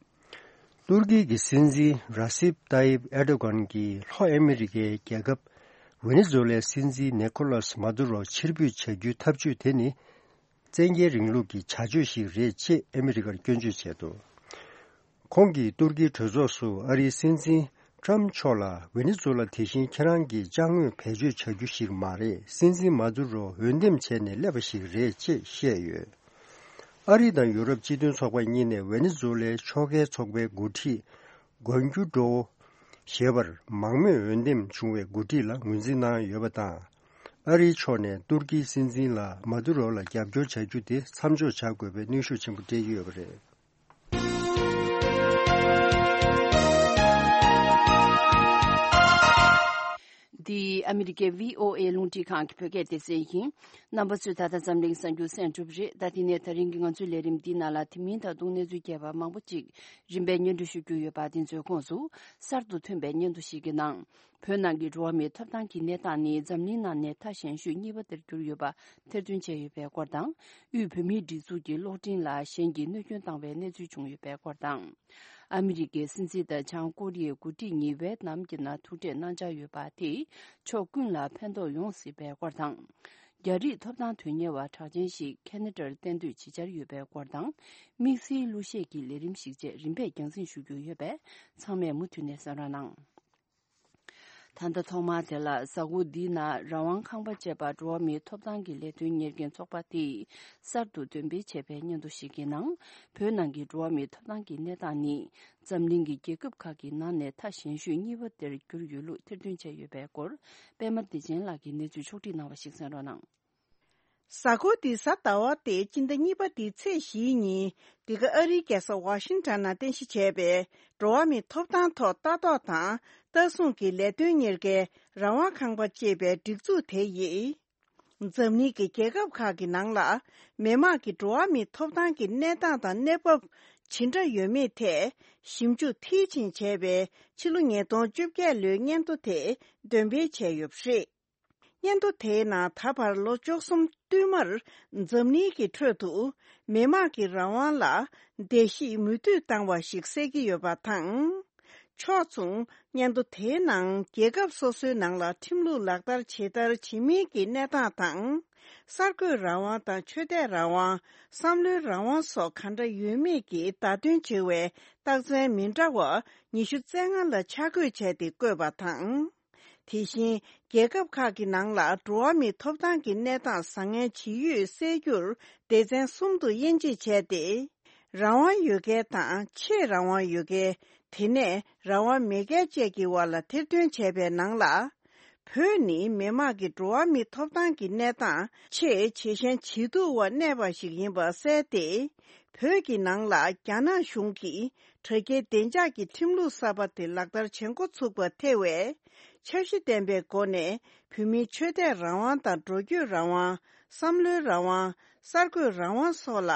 ཏུར་ཀི་གི་སྲིད་འཛིན་ར་སིབ་ཏཱ་ཡིབ་ཨེར་ཏོ་གྷན་གྱིས་ལྷོ་ཨ་མི་རི་ཀའི་རྒྱལ་ཁབ་ཝེ་ནེ་ཛུ་ལའི་སྲིད་འཛིན་ནེ་ཁོ་ལཱས་མཱ་དུ་རོ་ཕྱིར་འབུད་བྱ་རྒྱུའི་ཐབས་ཇུས་དེ་ནི། བཙན་རྒྱལ་རིང་ལུགས་ཀྱི་བྱ་སྤྱོད་ཞིག་རེད་ཅེས་ཨ་མི་རི་ཀར་སྐྱོན་བརྗོད་བྱས་འདུག་ཁོང་གིས་ཏུར་ཀིའི་གྲོས་ཚོགས་སུ་ཨ་རིའི་སྲིད་འཛིན་ཊམ་མཆོག་ལ། ཝེ་ནེ་ཛུ་ལ་དེ་བཞིན་ཁྱེད་རང་གིས་ཅ་དངོས་བེད་སྤྱོད་བྱ་རྒྱུ་ཞིག་མ་རེད། སྲིད་འཛིན་མཱ་དུ་རོ་འོས་འདེམས་བྱས་ནས་སླེབས་པ་ཞིག་རེད་ཅེས་བཤད་ཡོད། ཨ་རི་དང་ཡུ་རོབ་སྤྱི་མཐུན་ཚོགས་པ་གཉིས་ནས་ཝེ་ནེ་ཛུ་ལའི་ཕྱོགས་འགལ་ཚོགས་པའི་འགོ་ཁྲིད་གོན་ཇུ་ཌོ་ཞེས་པར་མང་མོས་འོས་འདེམས་བྱུང་བའི་འགོ་ཁྲིད་ལ་ངོས་འཛིན་གནང་ཡོད་པ་དང་། ཨ་རིའི་ཕྱོགས་ནས་ཏུར་ཀིའི་སྲིད་འཛིན་ལ་མཱ་དུ་རོ་ལ་རྒྱབ་སྐྱོར་བྱ་རྒྱུ་དེ་མཚམས་འཇོག་བྱ་དགོས་པའི་གནོན་ཤུགས་ཆེན་པོ་སྤྲད་ཀྱི་ཡོད་པ་རེད། འདི་ཨ་མི་རི་ཀའི་བྷི་ཨོ་ཨེ་རླུང་འཕྲིན་ཁང་གི་བོད་སྐད་སྡེ་ཚན་ཡིན། རྣམ་པ་ཚོས་ད་ལྟ་འཛམ་གླིང་གསར་འགྱུར་གསན་གྲུབ་རེད། ད་དེ་ནས་ད་རིང་གི་ང་ཚོའི་ལས་རིམ་འདིའི་ནང་ལ། དེ་མིན་ད་དུང་གནས་ཚུལ་རྒྱས་པ་མང་པོ་ཅིག་རིམ་པས་སྙན་སྒྲོན་ཞུ་རྒྱུ་ཡོད་པ། དེ་ཚོའི་ཁོངས་སུ། གསར་དུ་ཐོན་པའི་སྙན་ཐོ་ཞིག་གི་ནང་། བོད་ནང་གི་འགྲོ་བ་མིའི་ཐོབ་ཐང་གི་གནས་སྟངས་ནི་འཛམ་གླིང་ནང་ནས་མཐའ་ཞན་ཤོས་གཉིས་པ་དེར་གྱུར་ཡོད་པ་ཐེར་འདོན་བྱས་ཡོད་པའི་སྐོར་དང་། དབུས་བོད་མིའི་སྒྲིག་འཛུགས་ཀྱི་གློག་འཕྲིན་ལ་གཞན་གྱིས་གནོད་སྐྱོན་བཏང་བའི་གནས་ཚུལ་བྱུང་ཡོད་པའི་སྐོར་དང་། ཨ་མི་རི་ཀའི་སྲིད་འཛིན་དང་བྱང་ཀོ་རི་ཡའི་འགོ་ཁྲིད་གཉིས་ཝེ་ཏི་ནམ་གྱི་ནང་ཐུག་འཕྲད་གནང་འཆར་ཡོད་པ་དེས་ཕྱོགས་ཀུན་ལ་ཕན་ཐོགས་ཡོང་སྲིད་པའི་སྐོར་དང་། རྒྱ་རིགས་ཐོབ་ཐང་དོན་གཉེར་བ་གྲགས་ཅན་ཞིག་ཁེ་ན་ཌར་གཏན་སྡོད་བྱེད་འཆར་ཡོད་པའི་སྐོར་དང་། དམིགས་བསལ་གླུ་གཞས་ཀྱི་ལས་རིམ་ཞིག་བཅས་རིམ་པས་རྒྱང་སྲིང་ཞུ་རྒྱུ་ཡོད་པས། ཚང་མས་མུ་མཐུད་ནས་གསན་རོགས་གནང་། ད་ལྟ་ཐོག་མར་དེ་ལ། གཟའ་འཁོར་འདིའི་ནང་རང་དབང་ཁང་པ་ཅེས་པ་འགྲོ་བ་མིའི་ཐོབ་ཐང་གི་ལས་དོན་གཉེར་མཁན་ཚོགས་པ་དེས་གསར་དུ་འདོན་སྤེལ་བྱས་པའི་སྙན་ཐོ་ཞིག་གི་ནང་། བོད་ནང་གི་འགྲོ་བ་མིའི་ཐོབ་ཐང་གི་གནས་སྟངས་ནི། འཛམ་གླིང་གི་རྒྱལ་ཁབ་ཁག་གི་ནང་ནས་མཐའ་ཞན་ཤོས་གཉིས་པ་དེར་གྱུར་ཡོད་ལུགས་ཐེར་འདོན་བྱས་ཡོད་པའི་སྐོར། པད་མ་བདེ་ཆེན་ལགས་ཀྱིས་གནས་ཚུལ་ཕྱོགས་བསྒྲིགས་གནང་བ་ཞིག་གསན་རོགས་གནང་། གཟའ་འཁོར་འདིའི་གཟའ་ཟླ་བ་སྟེ་སྤྱི་ཟླ་གཉིས་པ་འདིའི་ཚེས་བཞིའི་ཉིན། འདི་ག་ཨ་རིའི་རྒྱལ་ས་ཝ་ཤིང་ཊོན་ནང་རྟེན་གཞི་བྱས་པའི་འགྲོ་བ་མིའི་ཐོབ་ཐང་ཐོག་ལྟ་རྟོག་དང་ལྟ་སྲུང་གི་ལས་དོན་གཉེར་མཁན་རང་དབང་ཁང་པ་ཅེས་པའི་སྒྲིག་འཛུགས་དེ་ཡིས། འཛམ་གླིང་གི་རྒྱལ་ཁབ་ཁག་གི་ནང་ལ་མི་དམངས་ཀྱི་འགྲོ་བ་མིའི་ཐོབ་ཐང་གི་གནས་སྟངས་དང་གནས་བབ་ཇི་འདྲ་ཡོད་མེད་ཐད་ཞིབ་འཇུག་མཐིལ་ཕྱིན་བྱས་པའི་ཕྱི་ལོ་ཉིས་སྟོང་བཅོ་བརྒྱད་ལོའི་སྙན་ཐོ་དེ་འདོན་སྤེལ་བྱས་ཡོད་པ་རེད། སྙན་ཐོ་དེའི་ནང་ད་བར་ལོ་བཅུ་གསུམ་བསྟུད་མར་འཛམ་གླིང་གི་ཁྲོད་དུ་མི་དམངས་ཀྱི་རང་དབང་ལ་བརྡལ་བཤིག་མུ་མཐུད་བཏང་བ་ཞིག་གསལ་གྱི་ཡོད་པ་དང་། ཕྱོགས་མཚུངས་སྙན་ཐོ་དེའི་ནང་རྒྱལ་ཁབ་སོ་སོའི་ནང་ལ་ཁྲིམས་ལུགས་ལག་བསྟར་ཇི་ལྟར་བྱེད་མིན་གྱི་གནས་སྟངས་དང་། གསར་འགོད་རང་དབང་དང་ཆོས་དད་རང་དབང་། བསམ་བློའི་རང་དབང་སོགས་ག་འདྲ་ཡོད་མེད་ཀྱི་བརྡ་སྟོན་བྱེད་པའི་རྟགས་མཚན་མི་འདྲ་བ་ཉི་ཤུ་རྩ་ལྔ་ལ་ཆ་བགོས་བྱས་ཏེ་བཀོད་པ་དང་། དེ་བཞིན་ རྒྱལ་ཁབ་ཁག་གི་ནང་ལ་འགྲོ་བ་མིའི་ཐོབ་ཐང་གི་གནས་སྟངས་བཟང་ངན་ཇི་ཡོད་གསལ་རྒྱུར་སྡེ་ཚན་གསུམ་དུ་དབྱེ་འབྱེད་བྱས་ཏེ། རང་དབང་ཡོད་མཁན་དང་ཆེས་རང་དབང་ཡོད་མཁན། དེ་ནས་རང་དབང་མེད་མཁན་བཅས་ཀྱི་བར་ལ་ཐེར་འདོན་བྱས་པའི་ནང་ལ། བོད་ནི་མི་དམངས་ཀྱི་འགྲོ་བ་མིའི་ཐོབ་ཐང་གི་གནས་སྟངས་ཆེས་ཇེ་ཞན་ཇེ་སྡུག་པར་གནས་པ་ཞིག་ཡིན་པ་གསལ་ཏེ། བོད་ཀྱི་ནང་ལ་རྒྱ་ནག་གཞུང་གིས་དྲ་རྒྱའི་བདེ་འཇགས་ཀྱི་ཁྲིམས་ལུགས་གསར་པ་དེ་ལག་བསྟར་བྱེད་འགོ་ཚུགས་པ་ཐེ་བའི་འཆར་གཞི་ལྡན་པའི་སྒོ་ནས་བོད་མིའི་ཆོས་དད་རང་དབང་དང་འགྲོ་སྐྱོད་རང་དབང་། བསམ་བློའི་རང་དབང་། གསར་འགོད་རང་དབང་སོགས་ལ་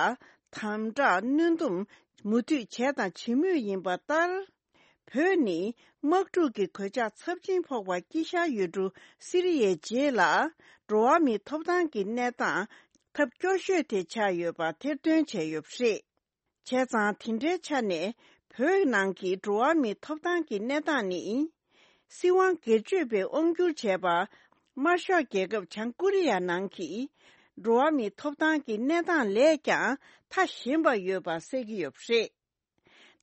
དམ་དྲག་གནོན་སྡོམ་མུ་མཐུད་བྱས་དང་བྱེད་མུས་ཡིན་པ་ལྟར། བོད་ནི་དམག་འཁྲུག་གི་གོད་ཆག་ཚབས་ཆེན་ཕོག་པ་དཀྱིལ་ཤར་ཡུལ་གྲུ་སི་རི་ཡའི་རྗེས་ལ། འགྲོ་བ་མིའི་ཐོབ་ཐང་གི་གནས་སྟངས་ཐབས་སྐྱོ་ཤོས་དེ་ཆགས་ཡོད་པ་ཐེར་འདོན་བྱས་ཡོད་པ་རེད། བྱས་ཙང་དེ་འདྲའི་ཆ་ནས་བོད་ནང་གི་འགྲོ་བ་མིའི་ཐོབ་ཐང་གི་གནས་སྟངས་ནི། སྲིད་དབང་སྒེར་གཅོད་པས་དབང་བསྒྱུར་བྱས་པ། དམར་ཤོག་རྒྱལ་ཁབ་བྱང་ཀོ་རི་ཡ་ནང་གི་འགྲོ་བ་མིའི་ཐོབ་ཐང་གི་གནས་སྟངས་ལས་ཀྱང་མཐའ་ཞན་པ་ཡོད་པ་གསལ་གྱི་ཡོད་པ་རེད།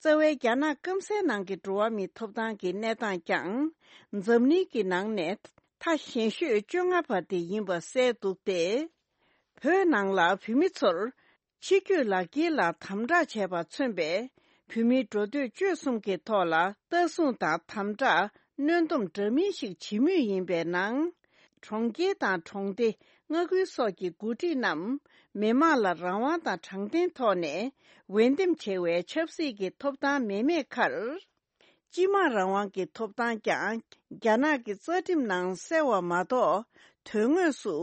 རྩ་བའི་རྒྱ་ནག་སྐམ་སའི་ནང་གི་འགྲོ་བ་མིའི་ཐོབ་ཐང་གི་གནས་སྟངས་ཀྱང་། འཛམ་གླིང་གི་ནང་ནས་མཐའ་ཞན་ཤོས་བཅོ་ལྔ་པ་དེ་ཡིན་པ་གསལ་འདུག་སྟེ། བོད་ནང་ལ་བོད་མི་ཚོར་ཕྱི་སྐྱོད་ལག་འཁྱེར་ལ་དམ་དྲག་བྱས་པ་མཚོན་པའི་བོད་མིའི་འགྲོ་སྡོད་སྤྱོད་གསུམ་གྱི་ཐོག་ལ་ལྟ་སྲུང་དང་དམ་དྲག་གནོན་སྡོམ་འདྲ་མིན་ཞིག་བྱེད་མུས་ཡིན་པའི་ནང་། གྲོང་ཁྱེར་དང་གྲོང་སྡེ། མངའ་ཁུལ་སོགས་ཀྱི་འགོ་ཁྲིད་རྣམས་མི་དམངས་ལ་རང་དབང་དང་དྲང་བདེན་ཐོག་ནས་འོས་འདེམས་བྱེད་པའི་ཆབ་སྲིད་ཀྱི་ཐོབ་ཐང་མེད་མེད་ཁར། སྤྱི་དམངས་རང་དབང་གི་ཐོབ་ཐང་ཀྱང་རྒྱ་ནག་གི་རྩ་ཁྲིམས་ནང་གསལ་བ་མ་གཏོགས། དོན་དངོས་སུ་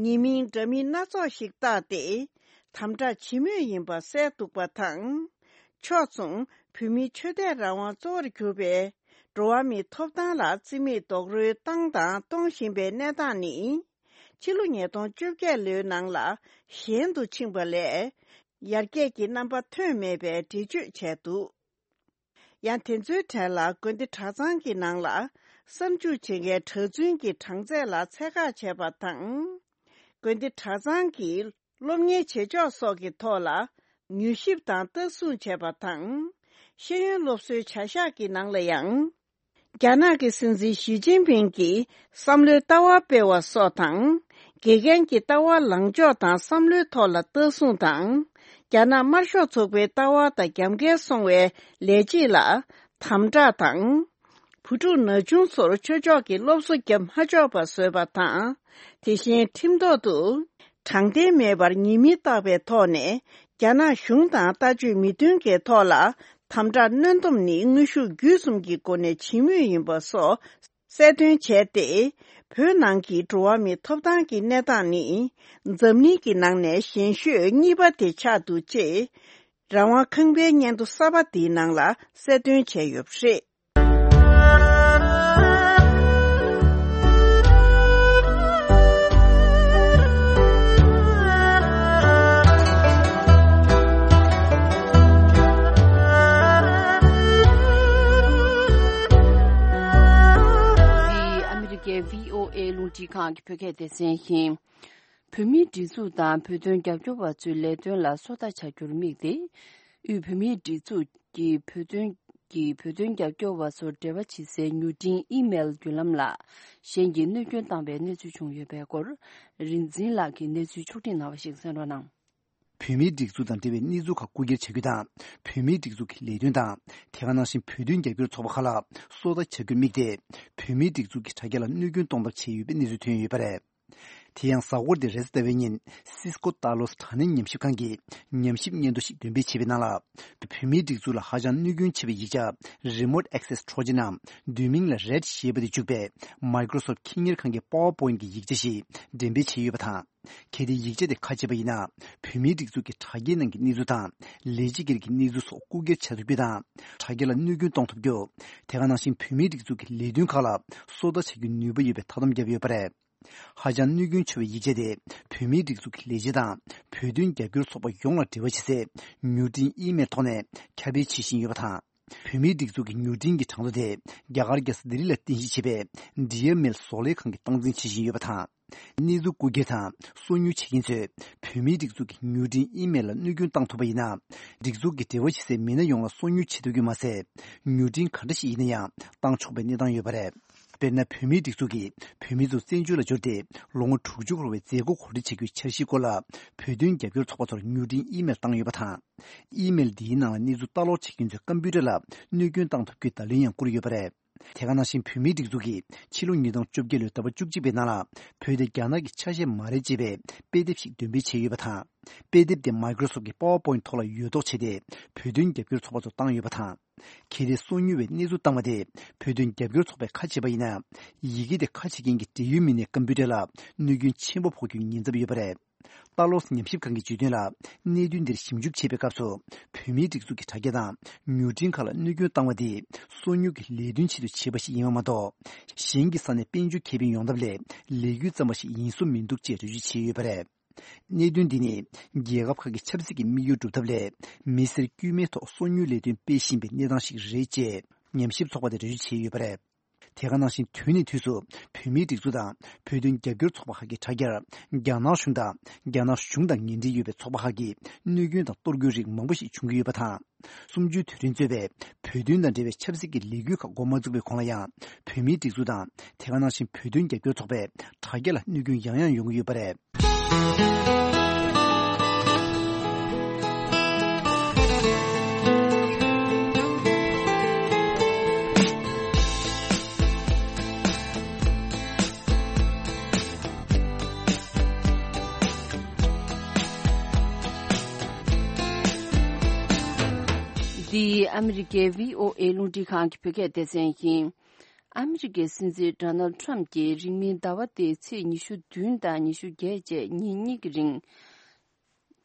ཉེས་མིང་འདྲ་མིན་སྣ་ཚོགས་ཤིག་བཏགས་ཏེ། དམ་དྲག་བྱེད་མུས་ཡིན་པ་གསལ་འདུག་པ་དང་། ཕྱོགས་མཚུངས་བོད་མིའི་ཆོས་དད་རང་དབང་གཙོ་བོར་གྱུར་པའི་འགྲོ་བ་མིའི་ཐོབ་ཐང་ལ་བརྩི་མེད་རྡོག་རོལ་བཏང་དང་གཏོང་བཞིན་པའི་གནས་སྟངས་ནི། ཕྱི་ལོ་ཉིས་སྟོང་བཅོ་བརྒྱད་ལོའི་ནང་ལ་ཞན་དུ་ཕྱིན་པ་ལས། ཡར་རྒྱས་ཀྱི་རྣམ་པ་ཐོན་མེད་པའི་འགྲེལ་བརྗོད་བྱས་འདུག་ཡང་དེ་ཚོའི་གྲས་ལ་དགོན་སྡེ་གྲྭ་ཚང་གི་ནང་ལ་གསར་འཇུག་བྱེད་མཁན་གྲྭ་བཙུན་གྱི་གྲངས་ཚད་ལ་ཚད་བཀག་བྱས་པ་དང་། དགོན་སྡེ་གྲྭ་ཚང་གི་སློབ་གཉེར་བྱེད་ཕྱོགས་སོགས་ཀྱི་ཐོག་ལ་མྱུལ་ཞིབ་དང་ལྟ་སྲུང་བྱས་པ་དང་། ཤེས་ཡོན་སློབ་གསོའི་བྱ་གཞག་གི་ནང་ལ་ཡང་། རྒྱ་ནག་གི་སྲིད་འཛིན་ཞི་ཅིན་ཕིང་གིས་བསམ་བློའི་ལྟ་བ་སྤེལ་བ་སོགས་དང་། དགེ་རྒན་གྱི་ལྟ་བ་ལངས་ཕྱོགས་དང་བསམ་བློའི་ཐོག་ལ་ལྟ་སྲུང་དང་། རྒྱ་ནག་དམར་ཤོག་ཚོགས་པའི་ལྟ་བ་དང་རྒྱབ་འགལ་སོང་བའི་ལས་བྱེད་ལ་དམ་དྲག་དང་། བུ་ཕྲུག་ན་ཆུང་ཚོར་ཆོས་ཕྱོགས་ཀྱི་སློབ་གསོ་བརྒྱབ་མ་ཆོག་པ་བཟོས་པ་དང་། དེ་བཞིན་ཁྲིམས་ཐོག་ཏུ་དྲང་བདེན་མེད་པར་ཉེས་མིང་བཏགས་པའི་ཐོག་ནས་རྒྱ་ནག་གཞུང་དང་ལྟ་སྤྱོད་མི་མཐུན་གྱི་ཐོག་ལ་དམ་དྲག་གནོན་སྡོམ་ནི་དངོས་ཤུགས་བརྒྱུད་གསུམ་གྱི་སྒོ་ནས་བྱེད་མུས་ཡིན་པ་སོགས། གསལ་སྟོན་བྱས་ཏེ། བོད་ནང་གི་འགྲོ་བ་མིའི་ཐོབ་ཐང་གི་གནས་སྟངས་ནི། འཛམ་གླིང་གི་ནང་ནས་ཞན་ཤོས་གཉིས་པ་དེ་ཆགས་འདུག་ཅེས། རང་དབང་ཁང་པའི་སྙན་ཐོ་གསར་པ་འདིའི་ནང་ལ་གསལ་སྟོན་བྱས་ཡོད་པ་རེད། འདི་ཨ་མི་རི་ཀའི་བྷི་ཨོ་ཨེ་རླུང་འཕྲིན་ཁང་གི་བོད་སྐད་སྡེ་ཚན་ཡིན། བོད་མིའི་སྒྲིག་འཛུགས་དང་བོད་དོན་རྒྱབ་སྐྱོར་བ་ཚོའི་ལས་དོན་ལ་སོ་ལྟ་བྱ་རྒྱུར་དམིགས་ཏེ། དབུས་བོད་མིའི་སྒྲིག་འཛུགས་ཀྱི་བོད་དོན་གྱི་བོད་དོན་རྒྱབ་སྐྱོར་བ་ཚོར་འབྲེལ་བ་བྱེད་སའི་མྱུར་འཕྲིན་ཨི་མེལ་བརྒྱུད་ལམ་ལ་གཞན་གྱིས་གནོད་སྐྱོན་བཏང་བའི་གནས་ཚུལ་བྱུང་ཡོད་པའི་སྐོར། རིག་འཛིན་ལགས་ཀྱིས་གནས་ཚུལ་ཕྱོགས་སྒྲིག་གནང་བ་ཞིག་གསན་རོགས་གནང་། བོད་མིའི་སྒྲིག་འཛུགས་དང་འབྲེལ་བའི་གནས་ཚུལ་ཁག་རྐུ་འཁྱེར་བྱ་རྒྱུ་དང་། བོད་མིའི་སྒྲིག་འཛུགས་ཀྱི་ལས་དོན་དང་། དེ་ག་ནང་བཞིན་བོད་དོན་རྒྱབ་སྐྱོར་ཚོགས་པ་ཁག་ལ་སོ་ལྟ་བྱ་རྒྱུར་དམིགས་ཏེ། བོད་མིའི་སྒྲིག་འཛུགས་ཀྱི་དྲ་རྒྱ་ལ་གནོད་སྐྱོན་གཏོང་ཐབས་བྱས་ཡོད་པའི་གནས་ཚུལ་ཐོན་ཡོད་པ་རེད། དེ་ཡང་གཟའ་འཁོར་འདིར་རེས་གཟའ་ཟླ་བའི་ཉིན་སིས་ཀོ་ཏཱ་ལོས་དྲ་བརྙན་ཉམས་ཞིབ་ཁང་གིས་ཉམས་ཞིབ་སྙན་ཐོ་ཞིག་འདོན་སྤེལ་བྱས་པའི་ནང་ལ། བོད་མིའི་སྒྲིག་འཛུགས་ལ་ཧ་ཅང་གནོད་སྐྱོན་ཆེ་བའི་ཡིག་ཆ་Remote Access Trojan ནམ་བསྡུས་མིང་ལ་རེད་ཞེས་པ་དེ་འཇུག་པའི་Microsoft་ཁེ་གཉེར་ཁང་གི་PowerPoint གྱི་ཡིག་ཆ་ཞིག་འགྲེམས་སྤེལ་བྱས་ཡོད་པ་དང་། གལ་ཏེ་ཡིག་ཆ་དེ་ཁ་ཕྱེ་བ་ཡིན་ན། བོད་མིའི་སྒྲིག་འཛུགས་ཀྱི་དྲ་རྒྱའི་ནང་གི་གནས་ཚུལ་དང་། ལས་བྱེད་སྒེར་གྱི་གནས་ཚུལ་སོགས་རྐུ་འཁྱེར་བྱ་ཐུབ་རྒྱུ་དང་། དྲ་རྒྱ་ལ་གནོད་སྐྱོན་གཏོང་ཐུབ་རྒྱུ། དེ་ག་ནང་བཞིན་བོད་མིའི་སྒྲིག་འཛུགས་ཀྱི་ལས་དོན་ཁག་ལ་སོ་ལྟ་བྱ་རྒྱུའི་ནུས་པ་ཡོད་པའི་ཐག་གཏམ་བརྒྱབ་ཡོད་པ་རེད། ཧ་ཅང་གནོད་སྐྱོན་ཆེ་བའི་ཡིག་ཆ་དེ་བོད་མིའི་སྒྲིག་འཛུགས་ཀྱི་ལས་བྱེད་དང་བོད་དོན་རྒྱབ་སྐྱོར་ཚོགས་པ་ཡོངས་ལ་འབྲེལ་བ་བྱེད་སའི་མྱུར་འཕྲིན་ཨི་མེལ་ཐོག་ནས་ཁྱབ་སྤེལ་བྱེད་བཞིན་ཡོད་པ་དང་། བོད་མིའི་སྒྲིག་འཛུགས་ཀྱི་མྱུར་འཕྲིན་གྱི་གྲངས་ཐོ་དེ་རྒྱ་གར་རྒྱལ་ས་ལྡི་ལི་ལ་རྟེན་གཞི་བྱས་པའི་Dear Mail བཟོ་ལས་ཁང་གིས་སྟངས་འཛིན་བྱེད་བཞིན་ཡོད་པ་དང་། གནས་ཚུལ་རྐུ་འཁྱེར་དང་སོ་ཉུལ་བྱེད་མཁན་ཚོས་བོད་མིའི་སྒྲིག་འཛུགས་ཀྱི་མྱུར་འཕྲིན་ཨི་མེལ་ལ་གནོད་སྐྱོན་བཏང་ཐུབ་པ་ཡིན་ན། སྒྲིག་འཛུགས་ཀྱི་འབྲེལ་བ་བྱེད་སའི་མི་སྣ་ཡོངས་ལ་སོ་ཉུལ་བྱེད་ཐུབ་རྒྱུ་མ་ཟད། མྱུར་འཕྲིན་ག་འདྲ་ཞིག་ཡིན་ན་ཡང་བཏང་ཆོག་པའི་གནས་སྟངས་ཡོད་པ་རེད། དཔེར་ན། བོད་མིའི་སྒྲིག་འཛུགས་ཀྱིས་བོད་མི་ཚོ་བཙན་བྱོལ་ལ་འབྱོར་ཏེ་ལོ་ངོ་དྲུག་ཅུ་འཁོར་བའི་མཛད་སྒོ་གོ་སྒྲིག་བྱ་རྒྱུའི་འཆར་གཞིའི་སྐོར་ལ། བོད་དོན་རྒྱབ་སྐྱོར་ཚོགས་པ་ཚོར་མྱུར་འཕྲིན་ཨི་མེལ་བཏང་ཡོད་པ་དང་། ཨི་མེལ་འདིའི་ནང་ལ་གནས་ཚུལ་ལྟ་ཀློག་བྱེད་མཁན་ཚོའི་ཀམ་པུ་ཊར་ལ་གནོད་སྐྱོན་བཏང་ཐུབ་རྒྱུའི་བརྡ་ལན་ཡང་བསྐུར་ཡོད་པ་རེད། དེ་ག་ནང་བཞིན། བོད་མིའི་སྒྲིག་འཛུགས་ཀྱིས་ཕྱི་ལོ་ཉིས་སྟོང་བཅོ་བརྒྱད་ལོའི་ཟླ་བ་བཅུ་གཅིག་པའི་ནང་ལ། བོད་དེ་རྒྱ་ནག་གི་ཆ་ཤས་མ་རེད་ཅེས་པའི་དཔེ་དེབ་ཞིག་འདོན་སྤེལ་བྱས་ཡོད་པ་དང་། དཔེ་དེབ་དེ་Microsoft གི་PowerPoint ཐོག་ལ་ཡོད་མདོག་བྱས་ཏེ། བོད་དོན་རྒྱབ་སྐྱོར་ཚོགས་པ་ཚོར་བཏང་ཡོད་པ་དང་། གལ་ཏེ་སོ་ཉུལ་བའི་གནས་ཚུལ་བཏང་བ་དེ་བོད་དོན་རྒྱབ་སྐྱོར་ཚོགས་པས་ཁ་ཕྱེས་པ་ཡིན་ན། ཡི་གེ་དེ་ཁ་ཕྱེ་མཁན་གྱི་འབྲེལ་ཡོད་མི་སྣའི་ཀམ་པུ་ཊར་ལ་གནོད་སྐྱོན་ཆེན་པོ་ཕོག་རྒྱུའི་ཉེན་ཚབས་ཡོད་པ་རེད། ལྟ་ཀློག་ཉམས་ཞིབ་ཁང་གིས་བརྗོད་དོན་ལ། གནད་དོན་འདིར་ཞིབ་འཇུག་བྱེད་པའི་སྐབས་སུ། བོད་མིའི་སྒྲིག་འཛུགས་ཀྱི་དྲ་རྒྱ་དང་མྱུར་འཕྲིན་ཁག་ལ་གནོད་སྐྱོན་བཏང་བ་དེ། སོ་ཉུལ་གྱི་ལས་དོན་ཆེད་དུ་བྱས་པ་ཞིག་ཡིན་པ་མ་གཏོགས། གཞན་གྱི་ས་ནས་དཔལ་འབྱོར་ཁེ་ཕན་ཡོང་ཐབས་ལས་ལས་འགུལ་བརྩམས་པ་ཞིག་ཡིན་བཟོ་མི་འདུག་ཅེས་འགྲེལ་བརྗོད་བྱས་ཡོད་པ་རེད། གནད་དོན་འདི་ནི། རྒྱལ་ཁབ་ཁག་གི་ཆབ་སྲིད་ཀྱི་དམིགས་ཡུལ་སྒྲུབ་ཐབས་ལས། མི་སེར་དཀྱུས་མའི་ཐོག་སོ་ཉུལ་ལས་དོན་སྤེལ་བཞིན་པའི་གནས་སྟངས་ཤིག་རེད་ཅེས། ཉམས་ཞིབ་ཚོགས་པ་དེས་འགྲེལ་བརྗོད་བྱས་ཡོད་པ་རེད། དེ་ག་ནང་བཞིན། དུས་ནས་དུས་སུ་བོད་མིའི་སྒྲིག་འཛུགས་དང་བོད་དོན་རྒྱབ་སྐྱོར་ཚོགས་པ་ཁག་གི་དྲ་རྒྱར། རྒྱ་ནག་གཞུང་དང་རྒྱ་ནག་གཞུང་དང་ངན་འབྲེལ་ཡོད་པའི་ཚོགས་པ་ཁག་གིས་གནོད་སྐྱོན་དང་གཏོར་རྒོལ་རིགས་མང་པོ་ཞིག་བྱུང་གི་ཡོད་པ་དང་། གསུམ་བཅུའི་དུས་དྲན་གཙོས་པའི་བོད་དོན་དང་འབྲེལ་བའི་ཆབ་སྲིད་ཀྱི་ལས་འགུལ་ཁག་འགོ་མ་བཙུགས་པའི་གོང་ལ་ཡང་། བོད་མིའི་སྒྲིག་འཛུགས་དང་། དེ་ག་ནང་བཞིན། བོད་དོན་རྒྱབ་སྐྱོར་ཚོགས་པའི་དྲ་རྒྱ་ལ་གནོད་སྐྱོན་ཡང་ཡང་ཡོང་གི་ཡོད་པ་རེད། འདི་ཨ་མི་རི་ཀའི་བྷི་ཨོ་ཨེ་རླུང་འཕྲིན་ཁང་གི་བོད་སྐད་སྡེ་ཚན་ཡིན། ཨ་མི་རི་ཀའི་སྲིད་འཛིན་ཌོ་ནལ་ཊམ་གྱིས་རིང་མིན་ཟླ་བ་འདིའི་ཚེས་ཉི་ཤུ་བདུན་དང་ཉི་ཤུ་བརྒྱད་བཅས་ཉིན་གཉིས་ཀྱི་རིང་།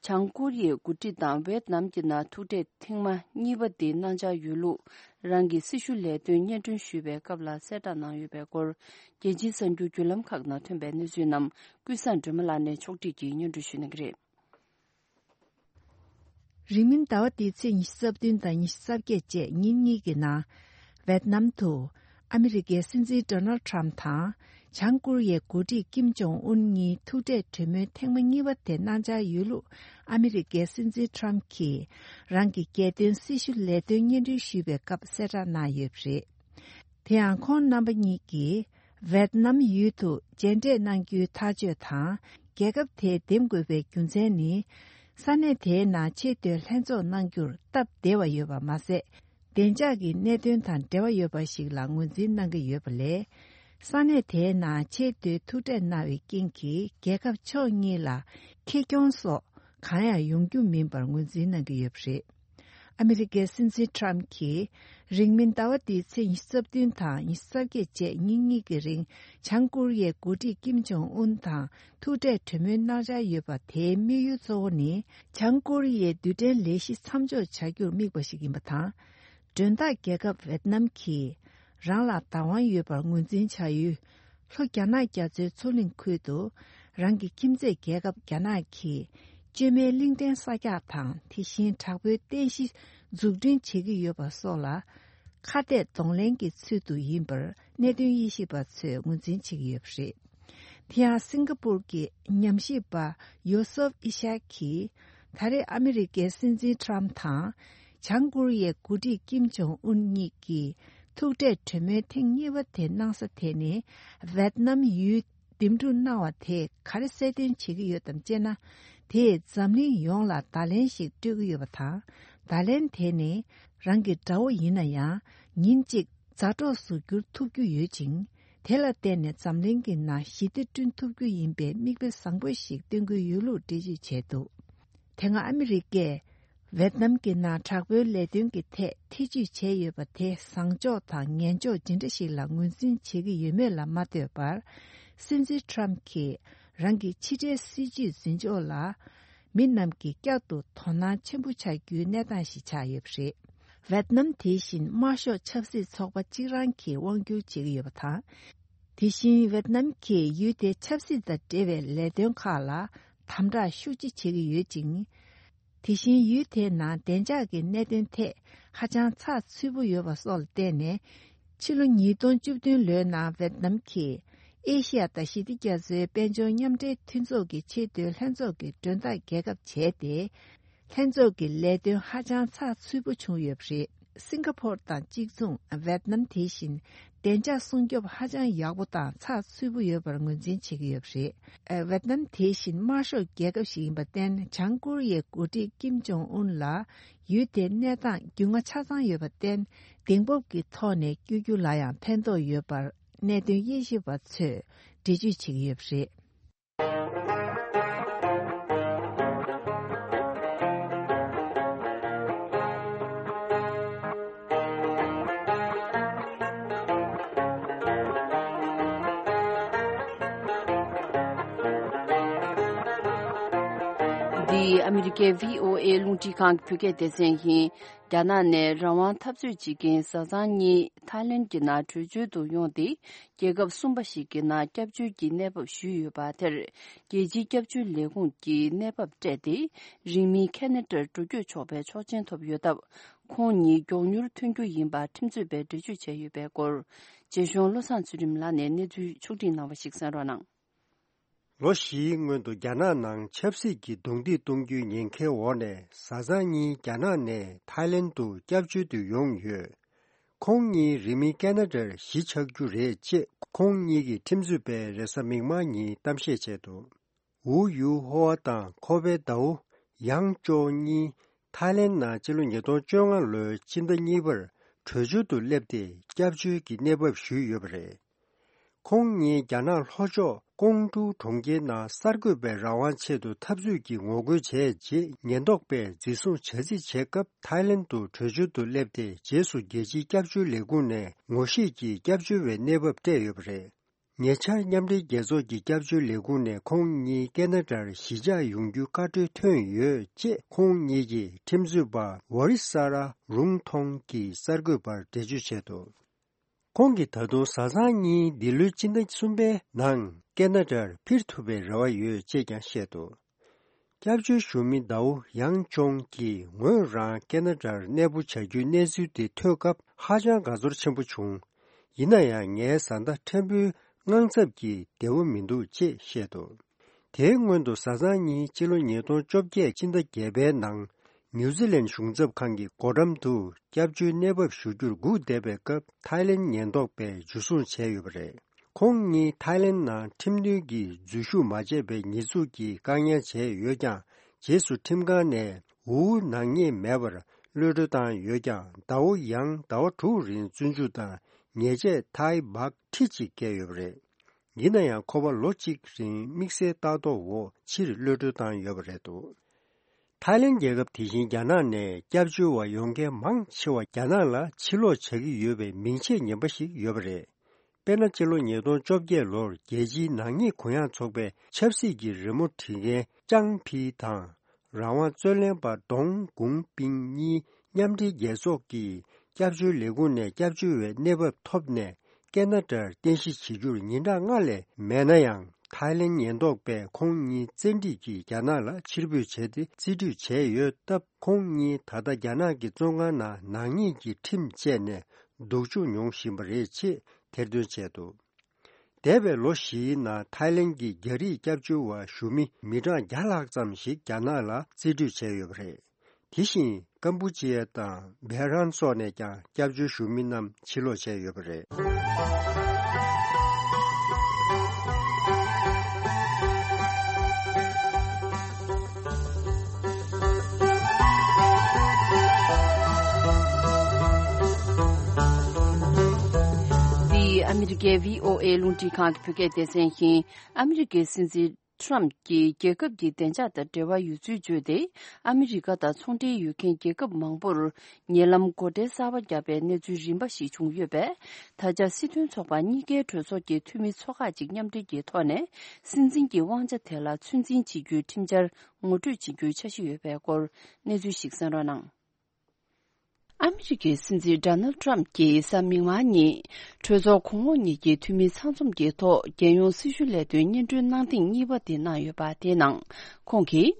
བྱང་ཀོ་རི་ཡའི་འགོ་ཁྲིད་དང་ཝེད་ནམ་གྱི་ནང་ཐུག་འཕྲད་ཐེངས་མ་གཉིས་པ་དེ་གནང་འཆར་ཡོད་ལུགས། རང་གི་སྲི་ཞུ་ལས་དོན་སྙན་སྒྲོན་ཞུས་པའི་སྐབས་ལ་གསལ་བསྒྲགས་གནང་ཡོད་པའི་སྐོར། རྒྱལ་སྤྱིའི་གསར་འགྱུར་བརྒྱུད་ལམ་ཁག་ནང་ཐོན་པའི་གནས་ཚུལ་རྣམས། ཀུན་བཟང་སྒྲོལ་མ་ལགས་ནས་ཕྱོགས་བསྒྲིགས་ཀྱིས་སྙན་སྒྲོན་ཞུ་གནང་གི་རེད། རིང་མིན་ཟླ་བ་འདིའི་ཚེས་ཉི་ཤུ་རྩ་བདུན་དང་ཉི་ཤུ་རྩ་བརྒྱད་བཅས་ཉིན་གཉིས་ཀྱི་ནང་། ཝེད་ནམ་དུ་ཨ་མི་རི་ཀའི་སྲིད་འཛིན་ཌོ་ནལ་ཊམ་དང་། བྱང་ཀོ་རི་ཡའི་འགོ་ཁྲིད་ཀིམ་ཇོང་ཨུན་གཉིས་ཐུག་འཕྲད་གྲོས་མོལ་ཐེངས་མ་གཉིས་པ་དེ་གནང་འཆར་ཡོད་ལུགས། ཨ་མི་རི་ཀའི་སྲིད་འཛིན་ཊམ་གྱིས་རང་གི་རྒྱལ་དོན་སྲི་ཞུ་ལས་དོན་སྙན་སྒྲོན་ཞུས་པའི་སྐབས་གསལ་བསྒྲགས་གནང་ཡོད་པ་རེད། དེ་ཡང་ཁོང་རྣམ་པ་གཉིས་ཀྱིས་ཝེད་ནམ་ཡུལ་དུ་མཇལ་འཕྲད་གནང་རྒྱུའི་ཐག་གཅོད་དང་། རྒྱལ་ཁབ་དེ་འདེམས་དགོས་པའི་རྒྱུ་མཚན་ནི། ས་གནས་དེའི་ནང་ཆེས་མཐོའི་ལྷན་ཚོགས་གནང་རྒྱུར་སྟབས་བདེ་བ་ཡོད་པ་མ་ཟད། བདེ་འཇགས་ཀྱི་གནད་དོན་དང་འབྲེལ་བ་ཡོད་པ་ཞིག་ལ་ངོས་འཛིན་གནང་གི་ཡོད་པ་ལས། ས་གནས་དེའི་ནང་ཆེས་མཐོའི་ཐུག་འཕྲད་གནང་བའི་རྐྱེན་གྱིས་རྒྱལ་ཁབ་ཕྱོགས་གཉིས་ལ་ཁེ་གྱོང་སོགས་གང་ཡང་ཡོང་རྒྱུ་མིན་པར་ངོས་འཛིན་གནང་གི་ཡོད་པ་རེད། ཨ་མི་རི་ཀའི་སྲིད་འཛིན་ཊམ་གྱིས་རིང་མིན་ཟླ་བ་འདིའི་ཚེས་ཉི་ཤུ་རྩ་བདུན་དང་ཉི་ཤུ་རྩ་བརྒྱད་བཅས་ཉིན་གཉིས་ཀྱི་རིང་། བྱང་ཀོ་རི་ཡའི་འགོ་ཁྲིད་ཀིམ་ཇོང་ཨུན་དང་ཐུག་འཕྲད་གྲོས་མོལ་གནང་འཆར་ཡོད་པ། དེའི་དམིགས་ཡུལ་གཙོ་བོ་ནི། བྱང་ཀོ་རི་ཡའི་རྡུལ་ཕྲན་ལས་གཞི་མཚམས་འཇོག་བྱ་རྒྱུར་དམིགས་པ་ཞིག་ཡིན་པ་དང་། མགྲོན་བདག་རྒྱལ་ཁབ་ཝེད་ནམ་གྱིས་རང་ལ་བདག་དབང་ཡོད་པར་ངོས་འཛིན་བྱ་ཡུལ། ལྷོ་རྒྱ་ནག་རྒྱ་མཚོའི་མཚོ་གླིང་ཁུལ་དུ་རང་གི་ཁྱིམ་མཚེས་རྒྱལ་ཁབ་རྒྱ་ནག་གིས་བཅོས་མའི་གླིང་ཕྲན་གསར་རྒྱག་དང་། དེ་བཞིན་དྲག་པོའི་རྟེན་གཞི་འཛུགས་སྐྲུན་བྱེད་ཀྱི་ཡོད་པ་སོགས་ལ་ཁ་གཏད་གདོང་ལེན་གྱི་ཚུལ་དུ་ཡིན་པར་གནད་དོན་དབྱེ་ཞིབ་པ་ཚོས་ངོས་འཛིན་བྱེད་ཀྱི་ཡོད་པ་རེད། དེ་ཡང་སིང་ག་པུར་གྱི་ཉམས་ཞིབ་པ་ཡོ་སོབ་ཨི་ཤག་གིས། ད་རེས་ཨ་མི་རི་ཀའི་སྲིད་འཛིན་ཊམ་དང་། བྱང་ཀོ་རི་ཡའི་འགོ་ཁྲིད་ཀིམ་ཇོང་ཨུན་གཉིས་ཀྱིས་ཐུག་འཕྲད་གྲོས་མོལ་ཐེངས་གཉིས་པ་དེ་གནང་ས་དེ་ནི། ཝེད་ནམ་ཡུལ་འདེམས་སྒྲུག་གནང་བ་དེས་ག་རེ་གསལ་སྟོན་བྱེད་ཀྱི་ཡོད་དམ་ཅེ་ན། དེས་འཛམ་གླིང་ཡོངས་ལ་བརྡ་ལན་ཞིག་སྤྲོད་ཀྱི་ཡོད་པ་དང་། བརྡ་ལན་དེ་ནི། རང་གི་དགྲ་བོ་ཡིན་ན་ཡང་། ཉིན་གཅིག་མཛའ་གྲོགས་སུ་འགྱུར་ཐུབ་རྒྱུ་ཡོད་ཅིང་། དེ་ལ་བརྟེན་ནས་འཛམ་གླིང་གི་ནང་ཞི་བདེ་བསྐྲུན་ཐུབ་རྒྱུ་ཡིན་པའི་མིག་དཔེ་བཟང་པོ་ཞིག་སྟོན་གྱི་ཡོད་ལུགས་འགྲེལ་བརྗོད་བྱས་འདུག་དེ་སྔ་ཨ་མི་རི་ཀས་ཝེད་ནམ་གྱི་ནང་དྲག་པོའི་ལས་དོན་གྱི་ཐད་ཐེ་ཇུས་བྱས་ཡོད་པ་དེ་བཟང་ཕྱོགས་དང་ངན་ཕྱོགས་ཇི་འདྲ་ཞིག་ལ་ངོས་འཛིན་བྱེད་ཀྱི་ཡོད་མེད་ལ་མ་ལྟོས་པར། སྲིད་འཛིན་ཊམ་གྱིས་རང་གི་ཕྱི་འབྲེལ་སྲིད་ཇུས་འཛིན་ཕྱོགས་ལ། མི་རྣམས་ཀྱིས་བསྐྱར་དུ་དོ་སྣང་ཆེན་པོ་བྱ་རྒྱུའི་གནས་སྟངས་ཤིག་ཆགས་ཡོད་པ་རེད། ཝེད་ནམ་དེ་བཞིན་དམར་ཤོག་ཆབ་སྲིད་ཚོགས་པ་གཅིག་རང་གིས་དབང་བསྒྱུར་བྱེད་ཀྱི་ཡོད་པ་དང་། དེ་བཞིན་ཝེད་ནམ་གྱིས་ཡུལ་དེའི་ཆབ་སྲིད་དང་འབྲེལ་བའི་ལས་དོན་ཁག་ལ་དམ་དྲག་ཤུགས་ཆེ་བྱེད་ཀྱི་ཡོད་ཅིང་། དེ་བཞིན་ཡུལ་དེའི་ནང་བདེ་འཇགས་ཀྱི་གནད་དོན་ཐད་ཧ་ཅང་ཚགས་ཚུད་པོ་ཡོད་པ་སོགས་ལ་བརྟེན་ནས། ཕྱི་ལོ་ཉིས་སྟོང་བཅུ་བདུན་ལོའི་ནང་ཝེད་ནམ་གྱིས་ཨེ་ཤི་ཡ་དང་ཞི་བདེ་རྒྱ་མཚོའི་དཔལ་འབྱོར་མཉམ་འབྲེལ་མཐུན་ཚོགས་ཀྱི་ཆེས་མཐོའི་ལྷན་ཚོགས་ཀྱི་མགྲོན་བདག་རྒྱལ་ཁབ་བྱས་ཏེ། ལྷན་ཚོགས་ཀྱི་ལས་དོན་ཧ་ཅང་ཚགས་ཚུད་པོ་བྱུང་ཡོད་པ་རེད། སིང་ག་ཕོར་དང་གཅིག་མཚུངས། ཝེད་ནམ་དེ་བཞིན་བདེ་འཇགས་སྲུང་སྐྱོབ་ཧ་ཅང་ཡག་པོ་དང་ཚགས་ཚུད་པོ་ཡོད་པར་ངོས་འཛིན་བྱེད་ཀྱི་ཡོད་པ་རེད། ཝེད་ནམ་དེ་བཞིན་དམར་ཤོག་རྒྱལ་ཁབ་ཞིག་ཡིན་པར་བརྟེན། བྱང་ཀོ་རི་ཡའི་འགོ་ཁྲིད་ཀིམ་ཇོང་ཨུན་ལ་ཡུལ་དེའི་གནས་སྟངས་རྒྱུས་མངའ་ཆ་ཚང་ཡོད་པར་བརྟེན། གདེང་སྤོབས་ཀྱི་ཐོག་ནས་བསྐྱོད་རྒྱུ་ལ་ཡང་ཕན་ཐོགས་ཡོད་པར་གནད་དོན་དབྱེ་ཞིབ་པ་ཚོས་འགྲེལ་བརྗོད་བྱེད་ཀྱི་ཡོད་པ་རེད། འདི་ཨ་མི་རི་ཀའི་བྷི་ཨོ་ཨེ་རླུང་འཕྲིན་ཁང་གི་བོད་སྐད་སྡེ་ཚན་ཡིན། རྒྱ་ནག་ནས་རང་དབང་འཐབ་རྩོད་བྱེད་མཁན་བཟའ་ཚང་གཉིས་ཐའི་ལེན་གྱི་ནང་བྲོས་བྱོལ་དུ་ཡོང་སྟེ། རྒྱལ་ཁབ་གསུམ་པ་ཞིག་གི་ནང་སྐྱབས་བཅོལ་གྱི་གནས་བབ་ཞུས་ཡོད་པ་དེར། རྒྱལ་སྤྱིའི་སྐྱབས་བཅོལ་ལས་ཁུངས་ཀྱིས་གནས་བབ་སྤྲད་དེ། རིང་མིན་ཁེ་ན་ཌར་འགྲོ་སྐྱོད་ཆོག་པའི་ཆོག་མཆན་ཐོབ་ཡོད་སྟབས། ཁོང་གཉིས་མགྱོགས་མྱུར་ཐོན་རྒྱུ་ཡིན་པ་ཁྲིམས་རྩོད་པས་འགྲེལ་བརྗོད་བྱས་ཡོད་པའི་སྐོར། རྗེ་གཞུང་བློ་བཟང་ཚུལ་ཁྲིམས་ལགས་ནས་གནས་ཚུལ་ཕྱོགས་སྒྲིག་གནང་བ་ཞིག་གསན་རོགས་གནང་། ལོ་བཞིའི་སྔོན་དུ་རྒྱ་ནག་ནང་ཆབ་སྲིད་ཀྱི་རྡུང་རྡེག་གཏོང་རྒྱུའི་ཉེན་ཁའི་འོག་ནས། བཟའ་ཚང་གཉིས་རྒྱ་ནག་ནས་ཐའི་ལེན་དུ་སྐྱབས་བཅོལ་དུ་ཡོང་ཡོད། ཁོང་གཉིས་རིང་མིན་ཁེ་ན་ཌར་གཞིས་ཆགས་རྒྱུ་རེད་ཅེས་ཁོང་གཉིས་ཀྱི་ཁྲིམས་རྩོད་པས་རེས་གཟའ་མིག་དམར་ཉིན་གཏམ་བཤད་བྱས་འདུག། ཝུའུ་ཡུའུ་ཧོ་ཨ་དང་ཁོ་པའི་ཟླ་བོ་ཡང་ཅོ་གཉིས་ཐའི་ལེན་ནང་ཕྱི་ལོ་ཉིས་སྟོང་བཅོ་ལྔ་ལོའི་སྤྱི་ཟླ་གཉིས་པར་བྲོས་བྱོལ་དུ་སླེབས་ཏེ། སྐྱབས་བཅོལ་གྱི་གནས་བབ་ཞུས་ཡོད་པ་རེད། ཁོང་གཉིས་རྒྱ་ནག་ལྷོ་ཕྱོགས་ཀོང་ཀྲུའུ་གྲོང་ཁྱེར་ནང་གསར་འགོད་པའི་རང་དབང་ཆེད་དུ་འཐབ་རྩོད་ཀྱི་ངོ་རྒོལ་བྱས་རྗེས། ཉེན་རྟོག་པས་འཛིན་བཟུང་བྱ་རྩིས་བྱས་སྐབས། ཐའི་ལེན་དུ་བྲོས་བྱོལ་དུ་སླེབས་ཏེ། རྗེས་སུ་རྒྱལ་སྤྱིའི་སྐྱབས་བཅོལ་ལས་ཁུངས་ནས་ངོ་ཤེས་ཀྱིས་སྐྱབས་བཅོལ་བའི་གནས་བབ་སྤྲད་ཡོད་པ་རེད། ཉེ་ཆར་མཉམ་འབྲེལ་རྒྱལ་ཚོགས་ཀྱི་སྐྱབས་བཅོལ་ལས་ཁུངས་ནས་ཁོང་གཉིས་ཀེ་ན་ཌར་གཞིས་ཆགས་ཡོང་རྒྱུའི་བཀའ་འཁྲོལ་ཐོན་ཡོད་ཅེས། ཁོང་གཉིས་ཀྱི་ཁྲིམས་རྩོད་པ་ཝ་རི་ས་ར་རུང་ཐོང་གིས་གསར་འགོད་པར་འགྲེལ་བརྗོད་བྱས་འདུག། ཁོང་གིས་ད་དུང་བཟའ་ཚང་གཉིས་འདི་ལོའི་སྤྱི་ཟླ་གསུམ་པའི་ནང་ཀེ་ན་ཌར་འཕུར་ཐུབ་པའི་རེ་བ་ཡོད་ཅེས་ཀྱང་བཤད་འདུག། སྐྱབས་བཅོལ་ཞུ་མི་ཟླ་བོ་ཡང་ཅོང་གིས་ངོས་རང་ཀེ་ན་ཌར་གནས་སྤོ་བྱ་རྒྱུའི་གནས་ཚུལ་དེ་ཐོས་སྐབས། ཧ་ཅང་དགའ་ཚོར་ཆེན་པོ་བྱུང་། ཡིན་ན་ཡང་། ངའི་བཟའ་ཟླ་ཕྲན་བུའི་དངངས་འཚབ་ཀྱིས་བདེ་བོ་མི་འདུག་ཅེས་བཤད་འདུག། དེའི་སྔོན་དུ་བཟའ་ཚང་གཉིས་ཕྱི་ལོ་ཉིས་སྟོང་བཅོ་བརྒྱད་སྤྱི་ཟླ་བརྒྱད་པའི་ནང་། ནིའུ་ཛི་ལན་གཞུང་ཚབ་ཁང་གི་སྒོ་འགྲམ་དུ་སྐྱབས་བཅོལ་གནས་བབ་ཞུ་རྒྱུར་སྒུག་བསྡད་པའི་སྐབས། ཐའི་ལེན་ཉེན་རྟོག་པས་འཇུ་བཟུང་བྱས་ཡོད་པ་རེད། ཁོང་གཉིས་ཐའི་ལེན་ནང་ཁྲིམས་མཐུན་གྱི་འཛུལ་ཞུགས་མ་བྱས་པའི་ཉེས་འཛུགས་ཀྱིས་བཀག་ཉར་བྱས་ཡོད་ཀྱང་། རྗེས་སུ་ཁྲིམས་ཁང་ནས་ཝུའུ་ནག་ཉེས་མེད་པར་གློད་གྲོལ་བཏང་ཡོད་ཀྱང་། ཟླ་བོ་ཡང་ཟླ་བ་དྲུག་རིང་བཙོན་འཇུག་དང་ཉེས་ཆད་ཐའི་བྷག་ཁྲི་གཅིག་བཀལ་ཡོད་པ་རེད། ཡིན་ན་ཡང་། ཁོ་པ་ལོ་གཅིག་རིང་དམིགས་བསལ་ལྟ་རྟོག་འོག་ཕྱིར་གློད་གྲོལ་བཏང་ཡོད་པ་རེད་འདུག། ཐའི་ལེན་རྒྱལ་ཁབ་དེ་བཞིན་རྒྱ་ནག་ནས་སྐྱབས་བཅོལ་བ་ཡོང་མཁན་མང་ཆེ་བ་རྒྱ་ནག་ལ་ཕྱིར་ལོག་བྱ་གི་ཡོད་པའི་མིང་ཆད་ངན་པ་ཞིག་ཡོད་པ་རེད། དཔེར་ན། སྤྱི་ལོ་ཉིས་སྟོང་བཅོ་བརྒྱད་ལོར་རྒྱལ་སྤྱིའི་ནག་ཉེས་གུ་ཡངས་ཚོགས་པའི་ཆབ་སྲིད་ཀྱི་རི་མོ་འབྲི་མཁན་ཅང་ཕི་དང་། རང་དབང་རྩོད་ལེན་པ་ཏོང་ཀུང་པིང་གཉིས་མཉམ་འབྲེལ་རྒྱལ་ཚོགས་ཀྱི་སྐྱབས་བཅོལ་ལས་ཁུངས་ནས་སྐྱབས་བཅོལ་བའི་གནས་བབ་ཐོབ་ནས། ཀེ་ན་ཌར་རྟེན་གཞི་བྱེད་རྒྱུར་ཉིན་གྲངས་ལྔ་ལས་མེད་ན་ཡང་། ཐའི་ལེན་ཉེན་རྟོག་པས་ཁོང་གཉིས་བཙན་ཁྲིད་ཀྱིས་རྒྱ་ནག་ལ་ཕྱིར་འབུད་བྱས་ཏེ། རྩིས་སྤྲོད་བྱས་ཡོད་སྟབས། ཁོང་གཉིས་ད་ལྟ་རྒྱ་ནག་གི་བཙོན་ཁང་ནང་ནག་ཉེས་ཀྱི་ཁྲིམས་བཅད་ནས་སྡུག་སྦྱོང་མྱོང་བཞིན་པ་རེད་ཅེས་ཐེར་འདོན་བྱས་འདུག། འདས་པའི་ལོ་བཞིའི་ནང་ཐའི་ལེན་གྱི་རྒྱ་རིགས་སྐྱབས་བཅོལ་བ་ཞུ་མི་མི་གྲངས་བརྒྱ་ལྷག་ཙམ་ཞིག་རྒྱ་ནག་ལ་རྩིས་སྤྲོད་བྱས་ཡོད་པ་རེད། དེ་བཞིན་ཀམ་པུ་ཅི་ཡ་དང་བྷེ་རན་སོགས་ནས་ཀྱང་སྐྱབས་བཅོལ་ཞུ་མི་རྣམས་ཕྱིར་ལོག་བྱས་ཡོད་པ་རེད། འདི་ཨ་མི་རི་ཀའི་བྷི་ཨོ་ཨེ་རླུང་འཕྲིན་ཁང་གི་བོད་སྐད་སྡེ་ཚན་ཡིན། ཨ་མི་རི་ཀའི་སྲིད་འཛིན་ཁྲོམ་གྱིས་རྒྱལ་ཁབ་ཀྱི་བདེ་འཇགས་དང་འབྲེལ་བ་ཡོད་ཚུལ་བརྗོད་དེ། ཨ་མི་རི་ཀ་དང་ཚོང་འབྲེལ་ཡོད་མཁན་རྒྱལ་ཁབ་མང་པོར་ཉེ་ལམ་སྒོ་ཁྲལ་གསར་པ་བརྒྱབ་པའི་གནས་ཚུལ་རིམ་པ་ཞིག་བྱུང་ཡོད་པས། ད་ཆ་སྲིད་དོན་ཚོགས་པ་གཉིས་ཀའི་གྲོས་ཚོགས་ཀྱི་འཐུས་མི་ཚོ་ཁག་ཅིག་མཉམ་འབྲེལ་གྱི་ཐོག་ནས། སྲིད་འཛིན་གྱི་དབང་ཆ་དེ་ལ་ཚོད་འཛིན་བྱེད་རྒྱུའི་ཁྲིམས་འཆར་ངོ་སྤྲོད་བྱེད་རྒྱུའི་འཆར་གཞི་ཡོད་པའི་སྐོར་གནས་ཚུལ་ཞིག་གསན་རོགས་གནང་། ཨ་མི་རི་ཀའི་སྲིད་འཛིན་ཌོ་ནལ་ཌི་ཊརམ་གྱིས་གཟའ་མིག་དམར་ཉིན། གྲོས་ཚོགས་གོང་འོག་གཉིས་ཀྱི་འཐུས་མི་ཚང་འཛོམས་ཀྱི་ཐོག་རྒྱལ་ཡོངས་སྲི་ཞུ་ལས་དོན་སྙན་སྒྲོན་གནང་ཐེངས་གཉིས་པ་དེ་གནང་ཡོད་པ། དེའི་ནང་ཁོང་གིས།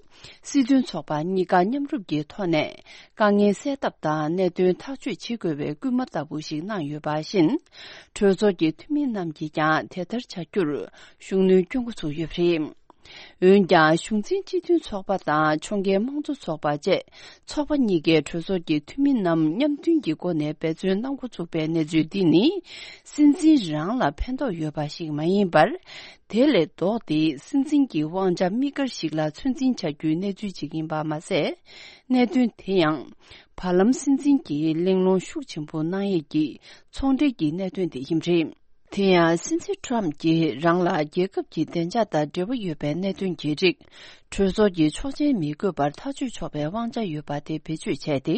སྲིད་དོན་ཚོགས་པ་གཉིས་ཀ་མཉམ་རུབ་ཀྱི་ཐོག་ནས། དཀའ་ངལ་སེལ་ཐབས་དང་། གནད་དོན་ཐག་གཅོད་བྱེད་དགོས་པའི་སྐུལ་མ་ལྟ་བུ་ཞིག་གནང་ཡོད་པ་བཞིན། གྲོས་ཚོགས་ཀྱི་འཐུས་མི་རྣམས་ཀྱིས་ཀྱང་དེ་ལྟར་བྱ་རྒྱུར་ཤུགས་སྣོན་སྐྱོན་འགོ་ཚུགས་ཡོད་པ་རེད། འོན་ཀྱང་གཞུང་འཛིན་སྤྱི་མཐུན་ཚོགས་པ་དང་ཕྱོགས་འགལ་དམངས་གཙོ་ཚོགས་པ་བཅས་ཚོགས་པ་གཉིས་ཀས་གྲོས་ཚོགས་ཀྱི་འཐུས་མི་རྣམས་མཉམ་མཐུན་གྱི་སྒོ་ནས་འབད་བརྩོན་གནང་འགོ་ཚུགས་པའི་གནས་ཚུལ་འདི་ནི། སྲིད་འཛིན་རང་ལ་ཕན་ཐོགས་ཡོད་པ་ཞིག་མ་ཡིན་པར། དེ་ལས་ལྡོག་སྟེ་སྲིད་འཛིན་གྱི་དབང་ཆ་དམིགས་བཀར་ཞིག་ལ་ཚོད་འཛིན་བྱ་རྒྱུའི་གནས་ཚུལ་ཅིག་ཡིན་པ་མ་ཟད། གནད་དོན་དེ་ཡང་། བར་ལམ་སྲིད་འཛིན་གྱིས་གླེང་སློང་ཤུགས་ཆེན་པོ་གནང་ཡས་ཀྱི་ཚོང་འབྲེལ་གྱི་གནད་དོན་དེ་ཡིན་པ་རེད། དེ་ཡང་སྲིད་འཛིན་ཊམ་གྱིས་རང་ལ་རྒྱལ་ཁབ་ཀྱི་བདེ་འཇགས་དང་འབྲེལ་བ་ཡོད་པའི་གནད་དོན་གྱི་རིགས། གྲོས་ཚོགས་ཀྱི་ཆོག་མཆན་མི་དགོས་པར་ཐག་གཅོད་ཆོག་པའི་དབང་ཆ་ཡོད་པ་དེ་བེད་སྤྱོད་བྱས་ཏེ།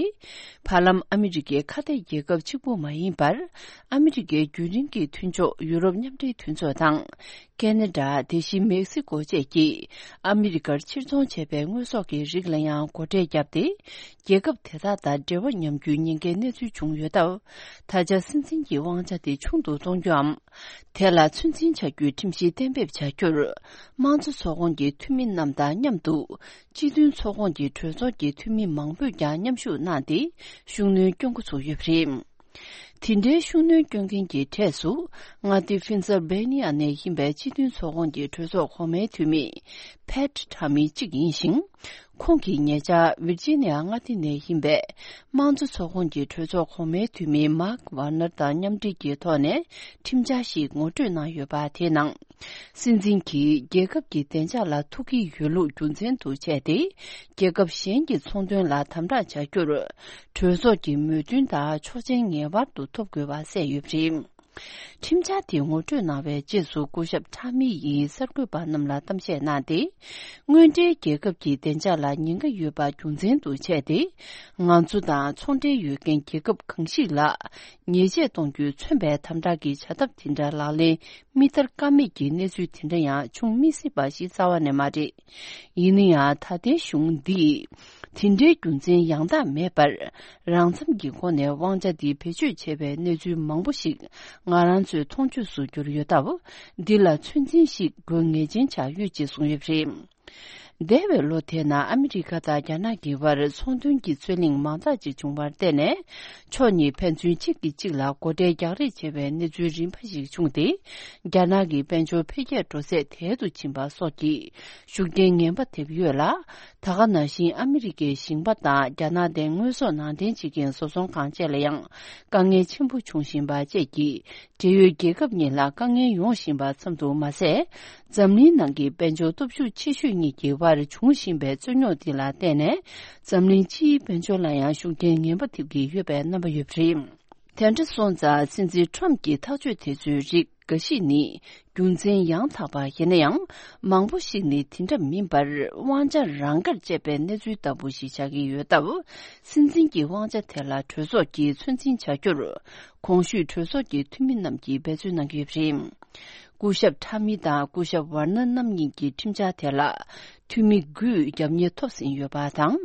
བར་ལམ་ཨ་མི་རི་ཀའི་ཁ་གཏད་རྒྱལ་ཁབ་གཅིག་པུ་མ་ཡིན་པར། ཨ་མི་རི་ཀའི་རྒྱུན་རིང་གི་མཐུན་ཕྱོགས་ཡུ་རོབ་མཉམ་འབྲེལ་མཐུན་ཚོགས་དང་། ཁེ་ན་ཌ། དེ་བཞིན་མེག་སི་ཀོ་བཅས་ཀྱིས་ཨ་མི་རི་ཀར་ཕྱིར་ཚོང་བྱས་པའི་དངོས་ཟོག་གི་རིགས་ལ་ཡང་སྒོ་ཁྲལ་བརྒྱབ་སྟེ། རྒྱལ་ཁབ་དེ་དག་དང་འབྲེལ་བ་ཉམས་རྒྱུའི་ཉེན་ཁའི་གནས་ཚུལ་བྱུང་ཡོད་སྟབས། ད་ཆ་སྲིད་འཛིན་གྱི་དབང་ཆ་དེ་ཆུང་དུ་གཏོང་རྒྱུའམ། དེ་ལ་ཚོད་འཛིན་བྱ་རྒྱུའི་ཁྲིམས་གཞི་གཏན་འབེབས་བྱ་རྒྱུར། དམངས་གཙོ་ཚོགས་ཁོངས་ཀྱི་འཐུས་མི་རྣམས་དང་མཉམ་དུ། སྤྱི་མཐུན་ཚོགས་ཁོངས་ཀྱི་གྲོས་ཚོགས་ཀྱི་འཐུས་མི་མང་པོས་ཀྱང་མཉམ་ཞུགས་གནང་སྟེ། ཤུགས་སྣོན་སྐྱོན་འགོ་ཚུགས་ཡོད་པ་རེད། དེ་འདྲའི་ཤུགས་སྣོན་སྐྱོན་མཁན་གྱི་གྲས་སུ། མངའ་སྡེ་ཕིན་སིལ་བྷེ་ནི་ཡ་ནས་ཡིན་པའི་སྤྱི་མཐུན་ཚོགས་ཁོངས་ཀྱི་གྲོས་ཚོགས་གོང་མའི་འཐུས་མི། ཕེཊ་ཊ་མི་གཅིག་ཡིན་ཞིང་། ཁོང་གིས་ཉེ་ཆར་ཝིར་ཇི་ནི་ཡ་མངའ་སྡེ་ནས་ཡིན་པའི། དམངས་གཙོ་ཚོགས་ཁོངས་ཀྱི་གྲོས་ཚོགས་གོང་མའི་འཐུས་མི་མཱག་ཝར་ནར་དང་མཉམ་འབྲེལ་གྱི་ཐོག་ནས་ཁྲིམས་འཆར་ཞིག་ངོ་སྤྲོད་གནང་ཡོད་པ་དེའི་ནང་། སྲིད་འཛིན་གྱིས་རྒྱལ་ཁབ་ཀྱི་བདེ་འཇགས་ལ་ཐུག་གི་ཡོད་ལུགས་རྒྱུ་མཚན་དུ་བྱས་ཏེ། རྒྱལ་ཁབ་གཞན་གྱི་ཚོང་དོན་ལ་དམ་དྲག་བྱ་རྒྱུར། གྲོས་ཚོགས་ཀྱི་མོས་མཐུན་དང་ཆོག་མཆན་ངེས་པར་དུ་ཐོབ་དགོས་པ་གསལ་ཡོད་པ་རེད། ཁྲིམས་འཆར་དེ་ངོ་སྤྲོད་གནང་བའི་རྗེས་སུ་སྐུ་ཞབས་ཊ་མི་ཡིས་གསར་འགོད་པ་རྣམས་ལ་གཏམ་བཤད་གནང་སྟེ། དངོས་འབྲེལ་རྒྱལ་ཁབ་ཀྱི་བདེ་འཇགས་ལ་ཉེན་ཁ་ཡོད་པ་རྒྱུ་མཚན་དུ་བྱས་ཏེ། ང་ཚོ་དང་ཚོང་འབྲེལ་ཡོད་མཁན་རྒྱལ་ཁབ་གང་ཞིག་ལ། ཉེས་ཆད་གཏོང་རྒྱུས་མཚོན་པའི་དམ་དྲག་གི་བྱ་ཐབས་དེ་འདྲ་ལག་ལེན་མི་བསྟར་ཀ་མེད་ཀྱི་གནས་ཚུལ་དེ་འདྲ་ཡང་བྱུང་མི་སྲིད་པ་ཞིག་རྩ་བ་ནས་མ་རེད། ཡིན་ན་ཡང་ད་ལྟའི་གཞུང་འདིས། དེ་འདྲའི་རྒྱུ་མཚན་ཡང་དག་མེད་པར། རང་འཚམ་གྱི་སྒོ་ནས་དབང་ཆ་འདི་བེད་སྤྱོད་བྱས་པའི་གནས་ཚུལ་མང་པོ་ཞིག་ང་རང་ཚོའི་མཐོང་ཆོས་སུ་གྱུར་ཡོད་སྟབས། འདི་ལ་ཚོད་འཛིན་ཞིག་དགོས་ངེས་ཅན་ཆགས་ཡོད་ཅེས་གསུངས་ཡོད་པ་རེད། འདས་པའི་ལོ་དེའི་ནང་ཨ་མི་རི་ཀ་དང་རྒྱ་ནག་གི་བར་ཚོང་དོན་གྱི་རྩོད་གླེང་མང་དག་ཅིག་བྱུང་བར་བརྟེན་ནས། ཕྱོགས་གཉིས་ཕན་ཚུན་གཅིག་གིས་གཅིག་ལ་སྒོ་ཁྲལ་རྒྱག་རེས་བྱེད་པའི་གནས་ཚུལ་རིམ་པ་ཞིག་བྱུང་སྟེ། རྒྱ་ནག་གི་དཔལ་འབྱོར་འཕེལ་རྒྱས་འགྲོ་ཚད་དལ་དུ་ཕྱིན་པ་སོགས་ཀྱི་ཤུགས་རྐྱེན་ངན་པ་ཐེབས་ཡོད་ལ། ད་ག་ནང་བཞིན་ཨ་མི་རི་ཀའི་ཞིང་པ་དང་རྒྱ་ནག་དེ་དངོས་ཟོག་ནང་འདྲེན་བྱེད་མཁན་བཟོ་ཚོང་ཁང་བཅས་ལ་ཡང་དཀའ་ངལ་ཆེན་པོ་བྱུང་བཞིན་པ་བཅས་ཀྱིས། འབྲེལ་ཡོད་རྒྱལ་ཁབ་གཉིས་ལ་དཀའ་ངལ་ཡོང་བཞིན་པ་ཙམ་དུ་མ་ཟད། འཛམ་གླིང་ནང་གི་དཔལ་འབྱོར་སྟོབས་ཤུགས་ཆེ་ཤོས་གཉིས་ཀྱི་དབར་འབྱུང་བཞིན་པའི་རྩོད་རྙོག་འདི་ལ་བརྟེན་ནས། འཛམ་གླིང་སྤྱིའི་དཔལ་འབྱོར་ལ་ཡང་ཤུགས་རྐྱེན་ངན་པ་ཐེབས་ཀྱི་ཡོད་པའི་རྣམ་པ་ཡོད་པ་རེད། དེ་འདྲ་སོང་ཙང་སྲིད་འཛིན་ཊམ་གྱི་ཐག་གཅོད་དེ་ཚོའི་རིགས་འགའ་ཞིག་ནི་རྒྱུ་མཚན་ཡང་དག་པ་ཡིན་ན་ཡང་། མང་པོ་ཞིག་ནི་དེ་འདྲ་མིན་པར་དབང་ཆ་རང་དགར་སྤྱད་པའི་གནས་ཚུལ་ལྟ་བུ་ཞིག་ཆགས་ཀྱི་ཡོད་སྟབས། སྲིད་འཛིན་གྱི་དབང་ཆ་དེ་ལ་གྲོས་ཚོགས་ཀྱིས་ཚོད་འཛིན་བྱ་རྒྱུར། གོང་ཞུས་གྲོས་ཚོགས་ཀྱི་འཐུས་མི་རྣམས་ཀྱིས་འབད་བརྩོན་གནང་གི་ཡོད་པ་རེད། སྐུ་ཞབས་ཊ་མི་དང་སྐུ་ཞབས་ཝར་ནར་རྣམ་གཉིས་ཀྱི་ཁྲིམས་འཆར་དེ་ལ་འཐུས་མི་དགུས་རྒྱབ་གཉེར་ཐོབ་ཟིན་ཡོད་པ་དང་།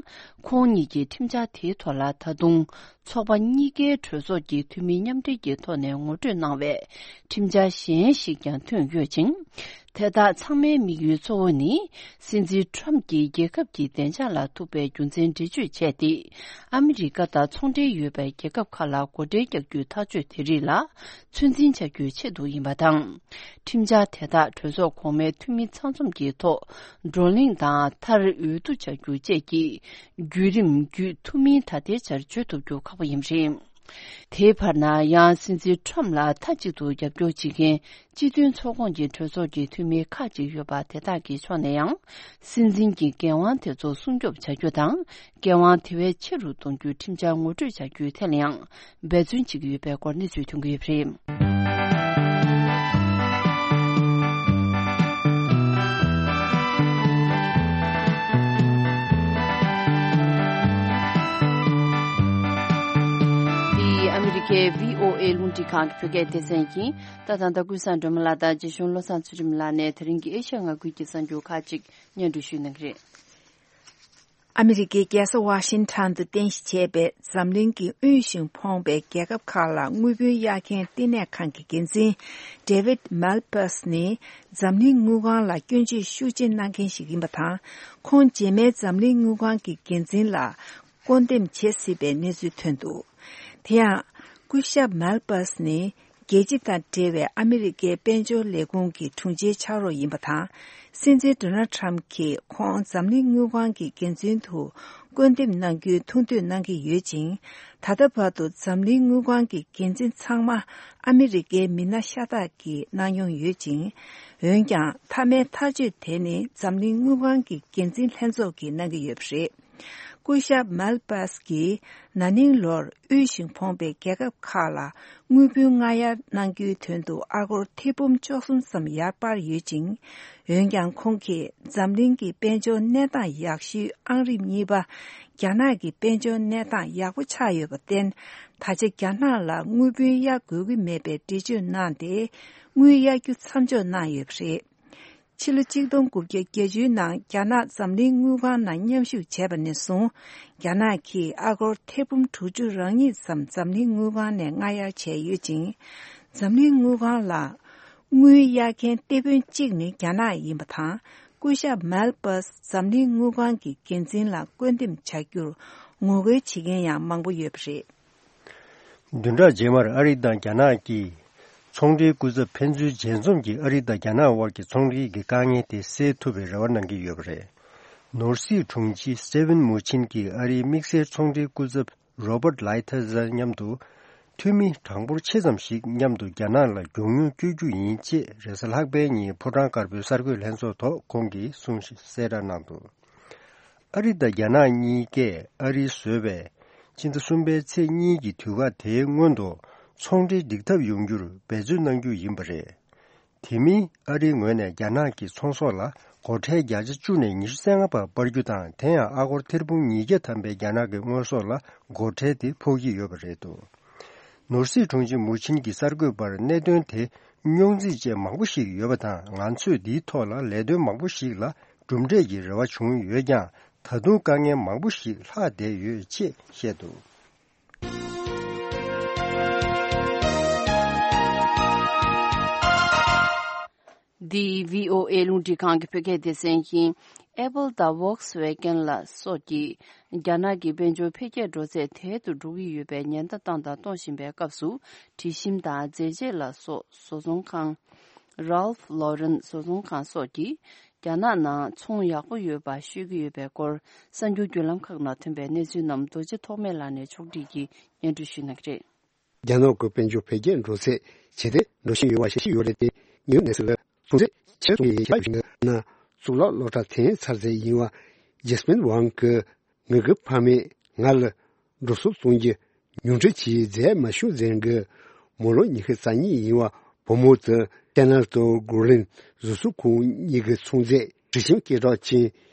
ཁོང་གཉིས་ཀྱི་ཁྲིམས་འཆར་དེའི་ཐོག་ལ་ད་དུང་ཚོགས་པ་གཉིས་ཀའི་གྲོས་ཚོགས་ཀྱི་འཐུས་མི་མཉམ་འབྲེལ་གྱི་ཐོག་ནས་ངོ་སྤྲོད་གནང་བའི་ཁྲིམས་འཆར་གཞན་ཞིག་ཀྱང་ཐོན་ཡོད་ཅིང་། དེ་དག་ཚང་མའི་དམིགས་ཡུལ་གཙོ་བོ་ནི། སྲིད་འཛིན་ཊམ་གྱིས་རྒྱལ་ཁབ་ཀྱི་བདེ་འཇགས་ལ་ཐུག་པའི་རྒྱུ་མཚན་འགྲེལ་བརྗོད་བྱས་ཏེ། ཨ་མི་རི་ཀ་དང་ཚོང་འབྲེལ་ཡོད་པའི་རྒྱལ་ཁབ་ཁག་ལ་སྒོ་ཁྲལ་རྒྱག་རྒྱུའི་ཐག་གཅོད་དེ་རིགས་ལ། ཚོད་འཛིན་བྱ་རྒྱུའི་ཆེད་དུ་ཡིན་པ་དང་། ཁྲིམས་འཆར་དེ་དག་གྲོས་ཚོགས་གོང་མའི་འཐུས་མི་ཚང་འཛོམས་ཀྱི་ཐོག་བགྲོ་གླེང་དང་མཐར་འོས་བསྡུ་བྱ་རྒྱུ་བཅས་ཀྱི་བརྒྱུད་རིམ་བརྒྱུད་ཐུབ་མིན་ད་ལྟའི་ཆར་བརྗོད་ཐུབ་རྒྱུ་ཁག་པོ་ཡིན་པ་རེད། དེའི་བར་ན་ཡང་སྲིད་འཛིན་ཊམ་ལ་མཐའ་གཅིག་ཏུ་རྒྱབ་སྐྱོར་བྱེད་མཁན་སྤྱི་མཐུན་ཚོགས་ཁོངས་ཀྱི་གྲོས་ཚོགས་ཀྱི་འཐུས་མི་ཁག་ཅིག་ཡོད་པ་དེ་དག་གི་ཕྱོགས་ནས་ཡང་སྲིད་འཛིན་གྱི་འགན་དབང་དེ་ཚོ་སྲུང་སྐྱོབ་བྱ་རྒྱུ་དང་། འགན་དབང་དེ་བས་ཆེ་རུ་གཏོང་རྒྱུའི་ཁྲིམས་འཆར་ངོ་སྤྲོད་བྱ་རྒྱུའི་ཐད་ལ་ཡང་འབད་བརྩོན་བྱེད་ཀྱི་ཡོད་པའི་སྐོར་གནས་ཚུལ་ཐོན་གྱི་ཡོད་པ་རེད། འདི་ཨ་མི་རི་ཀའི་བྷི་ཨོ་ཨེ་རླུང་འཕྲིན་ཁང་གི་བོད་སྐད་སྡེ་ཚན་ཡིན། ད་ད་ལྟ་ཀུན་བཟང་སྒྲོལ་མ་ལགས་དང་རྗེ་གཞུང་བློ་བཟང་ཚུལ་ཁྲིམས་ལགས་ནས་དེ་རིང་གི་ཨེ་ཤ་ཡ་མངའ་ཁུལ་གྱི་གསར་འགྱུར་ཁག་ཅིག་སྙན་སྒྲོན་ཞུས་གནང་གི་རེད། ཨ་མི་རི་ཀའི་རྒྱལ་ས་ཝ་ཤིང་ཊོན་དུ་རྟེན་གཞི་བྱས་པའི་འཛམ་གླིང་གི་དབུལ་ཞིང་ཕོངས་པའི་རྒྱལ་ཁབ་ཁག་ལ་དངུལ་བུན་གཡར་མཁན་བསྟི་གནས་ཁང་གི་འགན་འཛིན་David Malpass་ནི་འཛམ་གླིང་དངུལ་ཁང་ལ་སྐྱོན་བརྗོད་ཤུགས་ཆེ་གནང་མཁན་ཞིག་ཡིན་པ་དང་། ཁོང་རྗེས་མའི་འཛམ་གླིང་དངུལ་ཁང་གི་འགན་འཛིན་ལ་བསྐོ་འདེམས་བྱེད་སྲིད་པའི་གནས་ཚུལ་ཐོན་འདུག། དེ་ཡང་། སྐུ་ཞབས་Malpass་ནི་ རྒྱལ་སྤྱི་དང་འབྲེལ་བའི་ཨ་མི་རི་ཀའི་དཔལ་འབྱོར་ལས་ཁུངས་ཀྱི་དྲུང་ཆེའི་ཕྱག་རོགས་ཡིན་པ་དང་། སྲིད་འཛིན་ཌོ་ནལ་ཊམ་གྱིས་ཁོང་འཛམ་གླིང་དངུལ་ཁང་གི་འགན་འཛིན་དུ་བསྐོ་འདེམས་གནང་རྒྱུའི་ཐུགས་འདུན་གནང་གི་ཡོད་ཅིང་། ད་ལྟ་བར་དུ་འཛམ་གླིང་དངུལ་ཁང་གི་འགན་འཛིན་ཚང་མ་ཨ་མི་རི་ཀའི་མི་སྣ་ཤ་སྟག་གིས་གནང་མྱོང་ཡོད་ཅིང་། འོན་ཀྱང་མཐའ་མའི་ཐག་གཅོད་དེ་ནི་འཛམ་གླིང་དངུལ་ཁང་གི་འགན་འཛིན་ལྷན་ཚོགས་ཀྱིས་གནང་གི་ཡོད་པ་རེད། སྐུ་ཞབས་མལ་པཱས་ཀྱིས་ན་ནིང་ལོར་དབུལ་ཞིང་ཕོངས་པའི་རྒྱལ་ཁབ་ཁག་ལ་དངུལ་བུན་སྔ་གཡར་གནང་རྒྱུའི་དོན་དུ་ཨ་སྒོར་ཐེར་འབུམ་བཅུ་གསུམ་ཙམ་ཡར་སྤར་ཡོད་ཅིང་། འོན་ཀྱང་ཁོང་གིས་འཛམ་གླིང་གི་དཔལ་འབྱོར་གནས་སྟངས་ཡག་ཤོས་ཨང་རིམ་གཉིས་པ་རྒྱ་ནག་གི་དཔལ་འབྱོར་གནས་སྟངས་ཡག་པོ་ཆགས་ཡོད་པར་བརྟེན། ད་ཆ་རྒྱ་ནག་ལ་དངུལ་བུན་གཡར་དགོས་ཀྱི་མེད་པའི་འགྲེལ་བརྗོད་གནང་སྟེ། དངུལ་གཡར་རྒྱུ་མཚམས་འཇོག་གནང་ཡོད་པ་རེད། ཕྱི་ལོ་ཆིག་སྟོང་དགུ་བརྒྱ་བརྒྱད་ཅུའི་ནང་རྒྱ་ནག་འཛམ་གླིང་དངུལ་ཁང་ནང་མཉམ་ཞུགས་བྱས་པ་ནས་བཟུང་། རྒྱ་ནག་གིས་ཨ་སྒོར་ཐེར་འབུམ་དྲུག་ཅུ་རེ་གཉིས་ཙམ་འཛམ་གླིང་དངུལ་ཁང་ནས་སྔ་གཡར་བྱས་ཡོད་ཅིང་། འཛམ་གླིང་དངུལ་ཁང་ལ་དངུལ་གཡར་མཁན་སྟེགས་དཔོན་གཅིག་ནི་རྒྱ་ནག་ཡིན་པ་དང་། སྐུ་ཞབས་མལ་པཱས་འཛམ་གླིང་དངུལ་ཁང་གི་འགན་འཛིན་ལ་བསྐོ་འདེམས་བྱ་རྒྱུར་ངོ་རྒོལ་བྱེད་མཁན་ཡང་མང་པོ་ཡོད་པ་རེད། བདུན་ཕྲག་རྗེས་མར་ཨ་རི་དང་རྒྱ་ནག་གི་ཚོང་འབྲེལ་སྐུ་ཚབ་ཕན་ཚུན་མཇལ་འཛོམས་ཀྱིས་ཨ་རི་དང་རྒྱ་ནག་དབར་གྱི་ཚོང་འབྲེལ་གྱི་དཀའ་ངལ་དེ་སེལ་ཐུབ་པའི་རེ་བ་གནང་གི་ཡོད་པ་རེད། ནོར་སྲིད་དྲུང་ཆེ་སི་ཊི་ཝེན་མུ་ཆིན་གྱིས་ཨ་རིའི་དམིགས་བསལ་ཚོང་འབྲེལ་སྐུ་ཚབ་རོ་བར་ལའི་ཐར་དང་མཉམ་དུ་འཐུས་མི་གྲངས་འབོར་ཆེ་ཙམ་ཞིག་མཉམ་དུ་རྒྱ་ནག་ལ་མགྱོགས་མྱུར་བསྐྱོད་རྒྱུ་ཡིན་ཅེས་རེས་གཟའ་ལྷག་པའི་ཉིན་ཕོ་བྲང་དཀར་པོའི་གསར་འགོད་ལྷན་ཚོགས་ཐོག་ཁོང་གིས་གསུངས་གསལ་བསྒྲགས་གནང་འདུག་ཨ་རི་དང་རྒྱ་ནག་གཉིས་ཀས་ཨ་རིས་བཟོས་པའི་སྤྱི་ཟླ་གསུམ་པའི་ཚེས་གཉིས་ཀྱི་དུས་བཀག་དེའི་སྔོན་དུ་ཚོང་འབྲེལ་འགྲིག་ཐབས་ཡོང་རྒྱུར་འབད་བརྩོན་གནང་རྒྱུ་ཡིན་པ་རེད། དེ་མིན་ཨ་རིའི་ངོས་ནས་རྒྱ་ནག་གི་ཚོང་ཟོག་ལ་སྒོ་ཁྲལ་བརྒྱ་ཆ་བཅུ་ནས་ཉི་ཤུ་རྩ་ལྔ་བར་སྤར་རྒྱུ་དང་། དེ་ཡང་ཨ་སྒོར་ཐེར་འབུམ་ཉིས་བརྒྱ་ཐམ་པའི་རྒྱ་ནག་གི་དངོས་ཟོག་ལ་སྒོ་ཁྲལ་དེ་ཕོག་གི་ཡོད་པ་རེད་འདུག་ནོར་སྲིད་དྲུང་ཆེ་མུ་ཆིན་གྱིས་གསར་འགོད་པར་གནད་དོན་དེ་རྙོག་འཛིང་ཅན་མང་པོ་ཞིག་ཡོད་པ་དང་། ང་ཚོས་འདིའི་ཐོག་ལ་ལས་དོན་མང་པོ་ཞིག་ལ་གྲུབ་འབྲས་ཀྱི་རེ་བ་བྱུང་ཡོད་ཀྱང་། ད་དུང་དཀའ་ངལ་མང་པོ་ཞིག་ལྷག་བསྡད་ཡོད་ཅེས་བཤད་འདུག་འདི་བྷི་ཨོ་ཨེ་རླུང་འཕྲིན་ཁང་གི་བོད་སྐད་སྡེ་ཚན་ཡིན། Apple དང་Volkswagen ལ་སོགས་ཀྱིས་རྒྱ་ནག་གི་དཔལ་འབྱོར་འཕེལ་རྒྱས་འགྲོ་ཚད་དལ་དུ་འགྲོ་གི་ཡོད་པའི་ཉེན་བརྡ་བཏང་དང་གཏོང་བཞིན་པའི་སྐབས་སུ། དྲི་ཞིམ་དང་རྫས་ཆས་ལ་སོགས་བཟོ་ཚོང་ཁང་། Ralph Lauren བཟོ་ཚོང་ཁང་སོགས་ཀྱིས་རྒྱ་ནག་ནང་ཚོང་ཡག་པོ་ཡོད་པ་ཤོད་ཀྱི་ཡོད་པའི་སྐོར། གསར་འགྱུར་བརྒྱུད་ལམ་ཁག་ནང་ཐོན་པའི་གནས་ཚུལ་རྣམས་རྡོ་རྗེ་ཐོགས་མེད་ལགས་ནས་ཕྱོགས་སྒྲིག་གིས་སྙན་སྒྲོན་ཞུ་གནང་གི་རེད། རྒྱ་ནག་གི་དཔལ་འབྱོར་འཕེལ་རྒྱས་འགྲོ་ཚད་ཇེ་བདེ་འགྲོ་བཞིན་ཡོད་པ་ཤེས་ཀྱི་ཡོད་རེད་དེ། ཉིའུ་ནེ་སི་ལ་ཚོང་རྫས་ཆེད་གཏོང་ཡིན་ཞེས་པ་ཞིག་ན། གཙུག་ལག་སློབ་གྲྭ་ཐོན་ཚར་ཚད་ཡིན་བ་ཇེ་སི་མིན་ཝང་གི་ངེད་ཀྱི་ཕ་མས་ང་ལ་འགྲོ་སོང་གཏོང་རྒྱུ་ཉུང་འཕྲི་བྱེད་མཛད་མ་བྱུང་ཟེར་གི། མོ་ལོ་ཉི་ཤུ་རྩ་གཉིས་ཡིན་བ་བུ་མོ་དེ་ཏེ་ནལ་དང་གོ་ལིན་བཟོ་ཚོང་ཁང་གཉིས་ཀྱི་ཚོང་རྫས་དྲི་ཞིམ་སྐད་གྲགས་ཅན་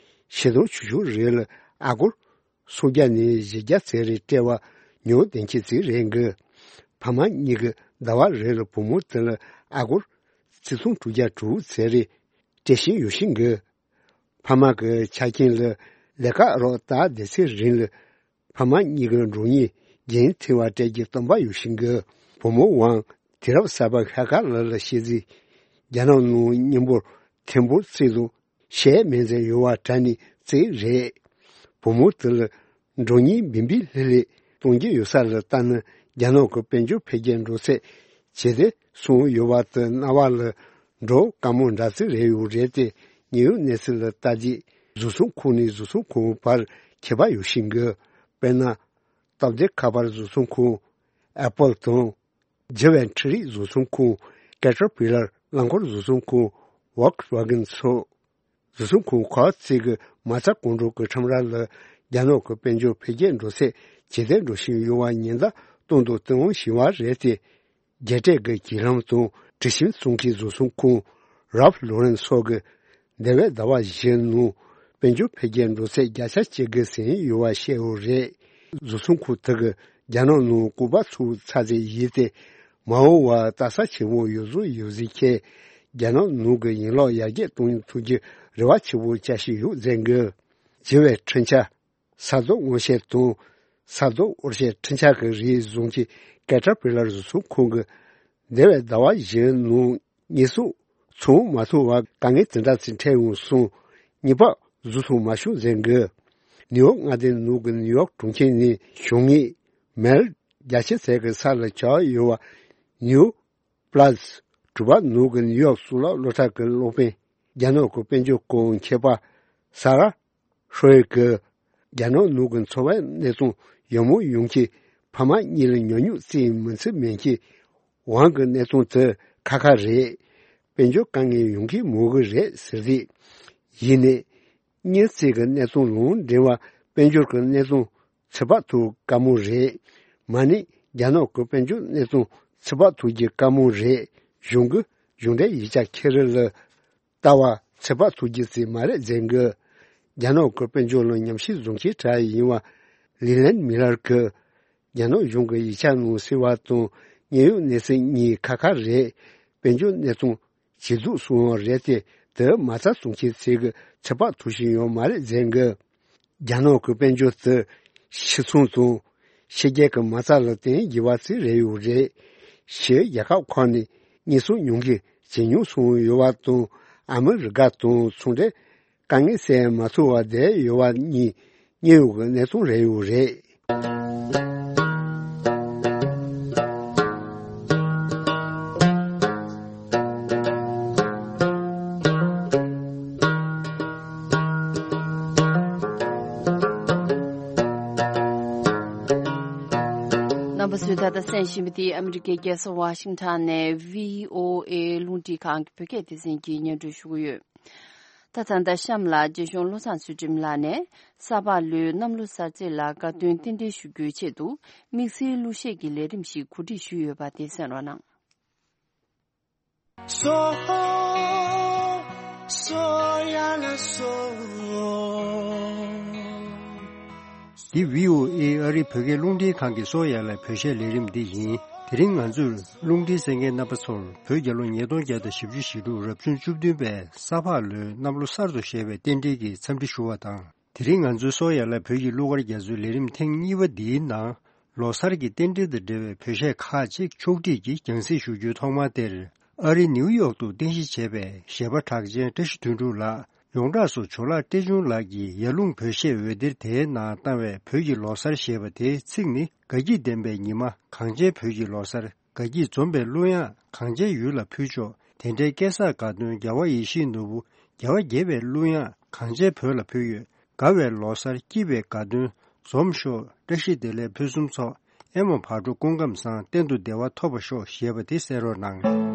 ཕྱེད་དང་ཆུ་ཤུགས་རེད་ལ་ཨ་སྒོར་སུམ་བརྒྱ་ནས་བཞི་བརྒྱ་ཚེ་རེ་སྤྲད་པ་ཉུང་བདེན་ཁྱད་ཅིག་རེད་གི། ཕ་མ་གཉིས་ཀྱི་ཟླ་བ་རེ་ལ་བུ་མོ་དེ་ལ་ཨ་སྒོར་ཆིག་སྟོང་དྲུག་བརྒྱ་དྲུག་ཚེ་རེ་སྤྲད་བཞིན་ཡོད་བཞིན་གི། ཕ་མ་གི་ཆ་རྐྱེན་ལ་ལས་ཀ་རོགས་ལྟ་བསྡད་ཚེ་རིང་ལ་ཕ་མ་གཉིས་ཀྱི་འགྲོ་གཉེན་རྒྱུན་མཐུད་པ་སྤྲད་རྒྱུ་སྟོན་པ་ཡོད་བཞིན་གི། བུ་མོ་ཝང་དུས་རབས་གསར་པ་ཤར་ཁག་ལ་ལ་ཤེས་ཚེ་རྒྱ་ནག་ནང་མཉམ་པོར་ཐེམ་པོར་བརྩིས་འདུག་ཤེས་མེད་ཚེ་ཡོད་བ་དྲ་ནི་རྩིས་རེད། བུ་མོ་དེ་ལ་འགྲོ་གཉེན་བིམ་བིམ་ལྷི་ལྷི་གཏོང་རྒྱུ་ཡོད་ས་ལ་ལྟ་ན་རྒྱ་ནག་གི་དཔལ་འབྱོར་འཕེལ་རྒྱས་འགྲོ་ཚད་ཇེ་བདེ་སོང་ཡོད་བ་དེ་རྣ་བ་ལ་འགྲོ་དཀའ་མོ་འདྲ་ཚིག་རེ་ཡོད་རེད་དེ། ཉེའུ་གནས་ཚུལ་ལ་ལྟ་རྗེས་བཟོ་ཚོང་ཁང་ནས་བཟོ་ཚོང་ཁང་བར་ཁྱད་པར་ཡོད་བཞིན་གི། དཔེར་ན། སྟབས་བདེ་ཁ་པར་བཟོ་ཚོང་ཁང་། ཨེ་པལ་དང་། ལྗི་བའི་འཕྲུལ་རིག་བཟོ་ཚོང་ཁང་། ཀེ་ཊར་པི་ལར་རླངས་འཁོར་བཟོ་ཚོང་ཁང་། ཝོག་སི་ཝ་གན་སོགས། བཟོ་ཚོང་ཁང་ཁག་ཅིག་གི་མ་རྩ་གང་འགྲོ་གི་ཁྲོམ་ར་ལ་རྒྱ་ནག་གི་དཔལ་འབྱོར་འཕེལ་རྒྱས་འགྲོ་ཚད་ཇེ་བདེ་འགྲོ་བཞིན་ཡོད་པ་ཉེན་བརྡ་གཏོང་དང་གཏོང་བཞིན་པ་རེད་དེ། རྒྱལ་སྤྱིའི་གི་བརྒྱུད་ལམ་དང་དྲི་ཞིམ་བཙོང་མཁན་བཟོ་ཚོང་ཁང་རཱལཕ་ལོ་རན་སོགས་ཀྱིས་འདས་པའི་ཟླ་བ་བཞིའི་ནང་དཔལ་འབྱོར་འཕེལ་རྒྱས་འགྲོ་ཚད་བརྒྱ་ཆ་གཅིག་གི་ཟིན་ཡོད་པ་བཤད་ཡོད་རེད། བཟོ་ཚོང་ཁང་དེ་གིས་རྒྱ་ནག་ནང་ལྐུགས་པ་ཚུགས་ཚར་ཚད་ཡིན་ཏེ། མ་འོངས་པར་ལྟ་ས་ཆེན་པོ་ཡོད་བཟོ་ཡོད་ཟིག་ཁྱེད་རྒྱ་ནག་ནང་གི་ཡན་ལག་ཡར་རྒྱས་གཏོང་ཐུབ་རྒྱུ་རེ་བ་ཆེན་པོ་བཅའ་བཞིན་ཡོད་ཟེར་གི། ལྗི་བའི་འཕྲུལ་ཆས། ས་རྡོ་སྔོ་ཤེལ་དང་། ས་རྡོ་འོར་ཤེལ་འཕྲུལ་ཆས་ཀྱི་རིགས་བཟོ་མཁན་ཀེ་ཊར་པི་ལར་བཟོ་ཚོང་ཁང་གིས་འདས་པའི་ཟླ་བ་བཞིའི་ནང་ཉེས་གསོག་ཚང་མ་ཐུབ་པར་དཀའ་ངལ་དེ་འདྲ་ཞིག་འཕྲད་ཡོང་སོང་། ངེས་པར་བཟོ་ཚོང་མ་བྱུང་ཟེར་གི། ནིའུ་ཡོག་མངའ་སྡེའི་ནང་གི་ནིའུ་ཡོག་གྲོང་ཁྱེར་ནས་བྱུང་ངེས་མལ་རྒྱ་ཆེ་ཚད་ཀྱི་ས་ལ་ཆགས་ཡོད་པ་ནིའུ་ པ་ལ་སི་གྲུ་པ་ནོར་གྱི་ནིའུ་ཡོག་གཙུག་ལག་སློབ་གྲྭ་གི་སློབ་དཔོན་རྒྱ་ནག་གི་དཔལ་འབྱོར་སྐོར་མཁས་པ་ས་ར་ཧྲོ་ཡེ་གིས་རྒྱ་ནག་ནང་གི་འཚོ་བའི་གནས་སྟངས་ཡག་མོ་ཡོང་མཁན་ཕ་མ་གཉིས་ལ་ཉོ་སྨྱུག་རྩིས་མི་ཚུད་མེད་མཁན་དབང་གི་གནས་སྟངས་དེ་ཁ་ཁ་རེད། དཔལ་འབྱོར་དཀའ་ངལ་ཡོང་གི་མོ་གི་རེད་ཟེར་རེད། ཡིན་ནའི་སྨྱུག་རྩིས་ཀྱི་གནས་སྟངས་ལུང་འདྲེན་པ་དཔལ་འབྱོར་གྱི་གནས་སྟངས་ཚོད་དཔག་ཐུབ་དཀའ་མོ་རེད། མ་ནི་རྒྱ་ནག་གི་དཔལ་འབྱོར་གནས་སྟངས་ཚོད་དཔག་ཐུབ་རྒྱུ་དཀའ་མོ་རེད། གཞུང་གི་གཞུང་འབྲེལ་ཡིག་ཆ་ཁེ་རི་ལ་ལྟ་བ་ཚོད་དཔག་ཐུབ་རྒྱུ་ཙམ་མ་རེད་ཟེར་གི། རྒྱ་ནག་གི་དཔལ་འབྱོར་ལ་ཉམས་ཞིབ་བཟོ་མཁན་གྲས་ཡིན་པ་ལི་ལན་མི་ལར་གྱིས། རྒྱ་ནག་གཞུང་གི་ཡིག་ཆ་ནང་གསལ་བ་དང་དངོས་ཡོད་གནས་ཚུལ་གཉིས་ཁ་ཁ་རེད། དཔལ་འབྱོར་གནས་སྟངས་ཇེ་སྡུག་སོང་བ་རེད་དེ། དེ་མ་རྩ་བཟུང་མཁན་ཚོས་གི་ཚོད་དཔག་ཐུབ་བཞིན་ཡོད་མ་རེད་ཟེར་གི། རྒྱ་ནག་གི་དཔལ་འབྱོར་དེ་ཕྱི་ཚོང་དང་ཕྱི་རྒྱལ་གྱི་མ་རྩ་ལ་བརྟེན་དགོས་པ་ཙམ་རེད་ཡོད་རེད། ཕྱིའི་རྒྱལ་ཁབ་ཁག་ནས་དངོས་ཟོག་ཉོ་མཁན་ཇེ་ཉུང་སོང་ཡོད་པ་དང་ཨ་མི་རི་ཀ་དང་ཚོང་འབྲེལ་དཀའ་ངལ་སེལ་མ་ཐུབ་པ་བསྡད་ཡོད་པ་གཉིས་དངོས་ཡོད་ཀྱི་གནས་སྟངས་རེད་ཡོད་རེད། རྣམ་པ་ཚོས་ད་ལྟ་གསན་བཞིན་པ་འདི་ཨ་མི་རི་ཀའི་རྒྱལ་ས་ཝ་ཤིང་ཊོན་ནས་བྷི་ཨོ་ཨེ་རླུང་འཕྲིན་ཁང་གི་བོད་སྐད་སྡེ་ཚན་གྱིས་སྙན་སྒྲོན་ཞུ་གི་ཡོད། ད་ད་ལྟ་གཤམ་ལ་རྗེ་གཞུང་བློ་བཟང་ཚུལ་ཁྲིམས་ལགས་ནས་ས་ཕག་ལོའི་གནམ་ལོ་གསར་ཚེས་ལ་དགའ་སྟོན་རྟེན་འབྲེལ་ཞུ་རྒྱུའི་ཆེད་དུ་དམིགས་བསལ་གླུ་གཞས་ཀྱི་ལས་རིམ་ཞིག་གོ་སྒྲིག་ཞུས་ཡོད་པ་དེ་གསན་རོགས་གནང་། སོ་སོ་ཡ་ལ་སོ། འདི་བྷི་ཨོ་ཨེ་ཨ་རིའི་བོད་སྐད་རླུང་འཕྲིན་ཁང་གི་སོ་ཡ་ལ་བོད་གཞས་ལས་རིམ་འདི་ཡིན། དེ་རིང་ང་ཚོས་རླུང་འཕྲིན་གསན་མཁན་རྣམ་པ་ཚོར་བོད་རྒྱལ་ལོ་ཉིས་སྟོང་བརྒྱ་དང་བཞི་བཅུ་ཞེ་དྲུག་རབ་བྱུང་བཅུ་བདུན་པའི་ས་ཕག་ལོའི་གནམ་ལོ་གསར་དུ་བཞད་པའི་རྟེན་འབྲེལ་གྱི་འཚམས་འདྲི་ཞུ་བ་དང་། དེ་རིང་ང་ཚོའི་སོ་ཡ་ལ་བོད་ཀྱི་གླུ་གར་རྒྱ་མཚོའི་ལས་རིམ་ཐེངས་གཉིས་པ་འདིའི་ནང་ལོ་གསར་གྱི་རྟེན་འབྲེལ་དང་འབྲེལ་བའི་བོད་གཞས་ཁག་ཅིག་ཕྱོགས་སྒྲིག་གིས་རྒྱང་སྲིང་ཞུ་རྒྱུའི་ཐོག་མ་དེར། ཨ་རིའི་ནིའུ་ཡོག་ཏུ་རྟེན་གཞི་བྱས་པའི་གཞས་པ་གྲགས་ཅན་བཀྲ་ཤིས་དོན་གྲུབ་ལགས་ཡོངས་གྲགས་སུ་ཇོ་ལགས་བཀྲས་ཆུང་ལགས་ཀྱིས་ཡར་ཀླུང་བོད་གཞས་འོད་སྡེར་དེའི་ནང་བཏང་བའི་བོད་ཀྱི་ལོ་གསར་ཞེས་པ་དེའི་ཚིག་ནི་དགའ་སྐྱིད་ལྡན་པའི་ཉི་མ། གངས་ཅན་བོད་ཀྱི་ལོ་གསར། དགའ་སྐྱིད་འཛོམས་པའི་གླུ་དབྱངས་གངས་ཅན་ཡུལ་ལ་ཕུལ་ཆོག་དེ་འདྲའི་སྐལ་བཟང་དགའ་སྟོན་རྒྱལ་བ་ཡིད་བཞིན་ནོར་བུ། རྒྱལ་བ་དགྱེས་པའི་གླུ་དབྱངས་གངས་ཅན་བོད་ལ་ཕུལ་ཡོད། དགའ་བའི་ལོ་གསར་སྐྱིད་པའི་དགའ་སྟོན་འཛོམས་ཤོག་བཀྲ་ཤིས་བདེ་ལེགས་ཕུན་སུམ་ཚོགས། ཨེ་མ་བག་དྲོ་སྐུ་ཁམས་བཟང་། གཏན་དུ་བདེ་བ་ཐོབ་པར་ཤོག་ཞེས་པ་དེ་གསན་རོགས་གནང་།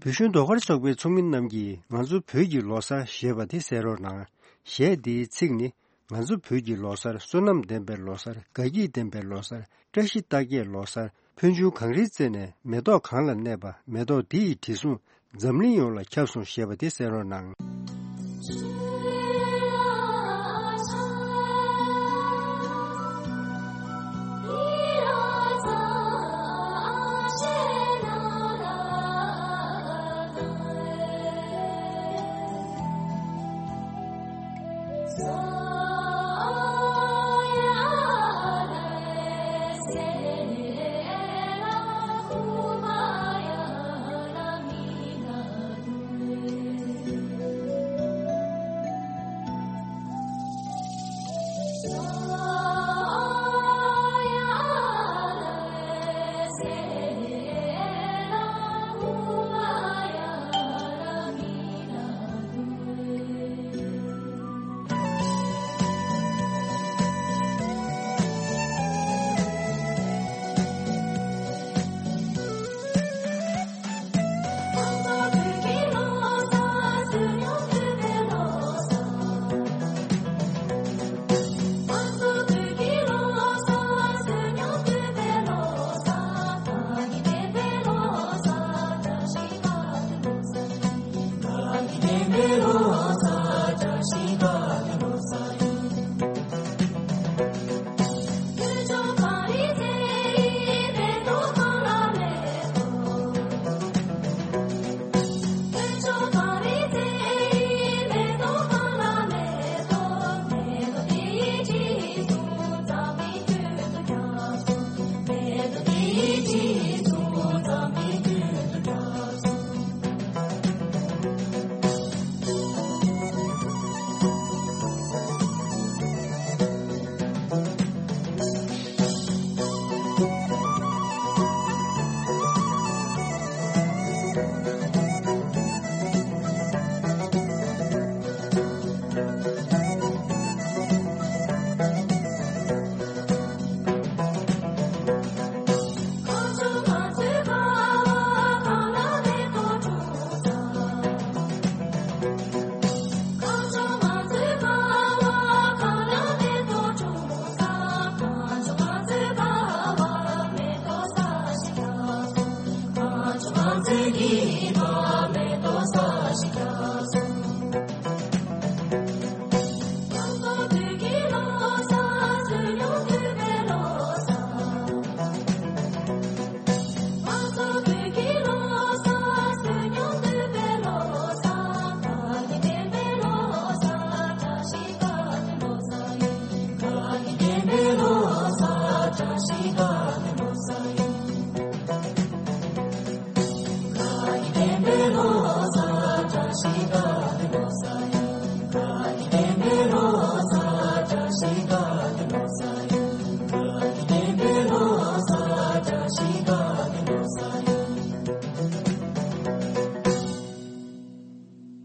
བོད་གཞོན་ཟློས་གར་ཚོགས་པའི་ཚོགས་མི་རྣམས་ཀྱིས་ང་ཚོ་བོད་ཀྱི་ལོ་གསར་ཞེས་པ་དེ་གསན་རོགས་གནང་། གཞས་འདིའི་ཚིག་ནི། ང་ཚོ་བོད་ཀྱི་ལོ་གསར། བསོད་ནམས་ལྡན་པའི་ལོ་གསར། དགའ་སྐྱིད་ལྡན་པའི་ལོ་གསར། བཀྲ་ཤིས་རྟགས་བརྒྱད་ལོ་གསར། ཕན་ཆུང་གངས་རིའི་རྩེ་ནས། མེ་ཏོག་གང་ལ་གནས་པ། མེ་ཏོག་འདི་ཡི་དྲི་བསུང་འཛམ་གླིང་ཡོངས་ལ་ཁྱབ་སོང་ཞེས་པ་དེ་གསན་རོགས་གནང་།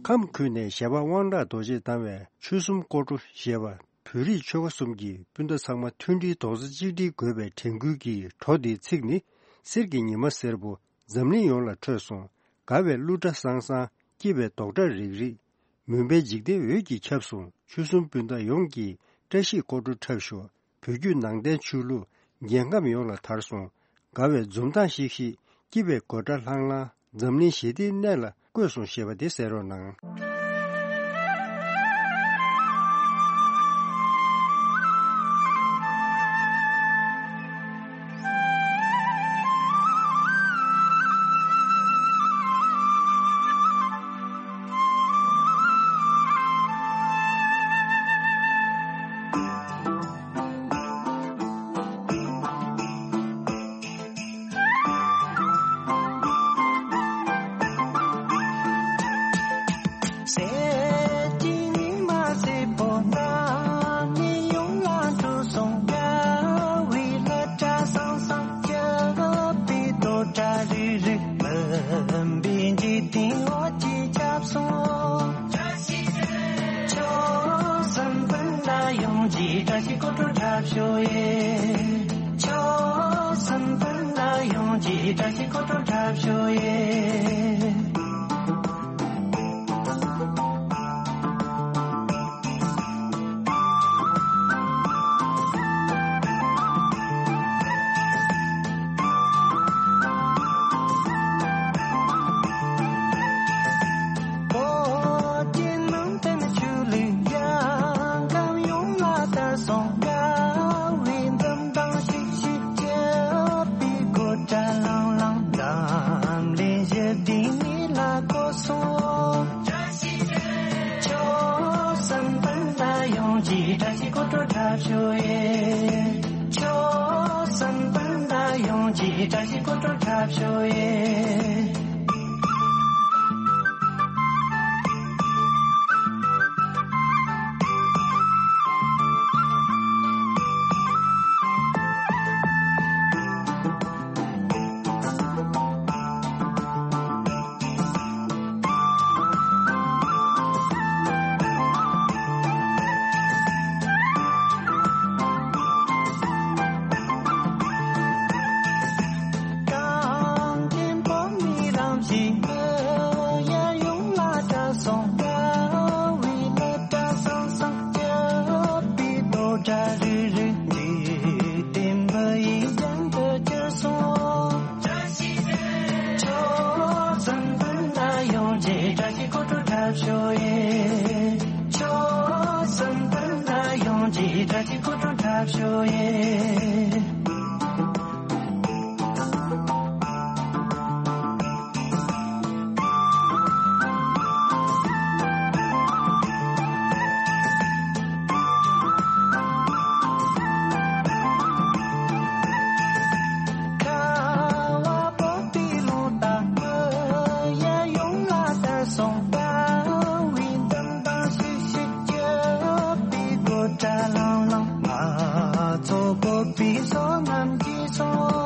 ཁམས་ཁུལ་ནས་གཞས་པ་དབང་གྲགས་རྡོ་རྗེས་བཏང་བའི་ཆོལ་གསུམ་སྐོར་བྲོ་ཞེས་པ། བོད་རིགས་ཆོལ་ཁ་གསུམ་གྱི་སྤུན་ཟླ་ཚང་མ་མཐུན་སྒྲིལ་རྡོག་རྩ་གཅིག་སྒྲིལ་དགོས་པའི་དྲན་སྐུལ་གྱི་བྲོ་འདིའི་ཚིག་ནི། གསེར་གྱི་ཉི་མ་སེར་པོ་འཛམ་གླིང་ཡོངས་ལ་འཕྲོས་སོང་། དགའ་བའི་གླུ་སྒྲ་སང་སང་། སྐྱིད་པའི་རྡོག་སྒྲ་རིག་རིག། མུན་པའི་འཇིག་རྟེན་འོད་ཀྱིས་ཁྱབ་སོང་། ཆོལ་གསུམ་སྤུན་ཟླ་ཡོངས་ཀྱིས་བཀྲ་ཤིས་སྐོར་བྲོ་འཁྲབ་ཤོག། བོད་བརྒྱུད་ནང་བསྟན་ཆོས་ལུགས་རྒྱལ་ཁམས་ཡོངས་ལ་དར་སོང་། དགའ་བའི་འཛུམ་མདངས་ཤིག་ཤིག། སྐྱིད་པའི་དགོད་སྒྲ་ལྷང་ལྷང་། འཛམ་གླིང་ཞི་བདེའི་གནས་ལ་བཀོད་སོང་ཞེས་པ་དེ་གསན་རོགས་གནང་། གསེར་གྱི་ཉི་མ་སེར་པོ་འདི་ནས་ཡོང་ལ་འགྲོ་སོང་། དགའ་བའི་སླད་སྒྲ་སང་སང་། སྐྱིད་པའི་རྡོག་སྒྲ་རིག་རིག། མུན་པའི་འཇིག་རྟེན་འོད་ཀྱིས་ཁྱབ་སོང་། ཆོལ་གསུམ་སྤུན་ཟླ་ཡོངས་ཀྱིས་བཀྲ་ཤིས་སྐོར་བྲོ་འཁྲབ་ཤོག་ཨེ། ཆོལ་གསུམ་སྤུན་ཟླ་ཡོངས་ཀྱིས་བཀྲ་ཤིས་སྐོར་བྲོ་འཁྲབ་ཤོག་ཨེ། ཡོངས་ཀྱི་བཀྲ་ཤིས་སྐུ་ཕྲེང་འཁྲབ་ཤོག་ཨེ། གངས་ཅན་བོད་མིའི་རང་བཞིན་ཡར་ཡོང་ལ་གྲགས་སོང་། དགའ་བའི་ལ་གྲགས་སོང་སོང་། སྐྱབས་པའི་རྡོ་གྲྭ་རིལ་རིལ་འཇིག་རྟེན་མི་ཡི་རྒྱན་དུ་གྱུར་སོང་། ཆོས་སམ་བོན་ལ་ཡོངས་ཀྱི་བཀྲ་ཤིས་སྐུ་ཕྲེང་འཁྲབ་ཤོག་ཨེ། ཆོས་སམ་བོན་ལ་ཡོངས་ཀྱི་བཀྲ་ཤིས་སྐུ་ཕྲེང་འཁྲབ་ཤོག་ཨེ། ཁ་བ་བབས་པའི་ལུང་དང་མི་ཡ་ཡོངས་ལ་དར་སོང་། དགའ་བའི་འཛུམ་མདངས་ཤིག་ཤིག། སྐྱབས་པའི་རྡོ་གྲྭ་ལང་ལང་། ང་ཚོ་བོད་པའི་བསོད་ནམས་ཀྱིས་སོང་།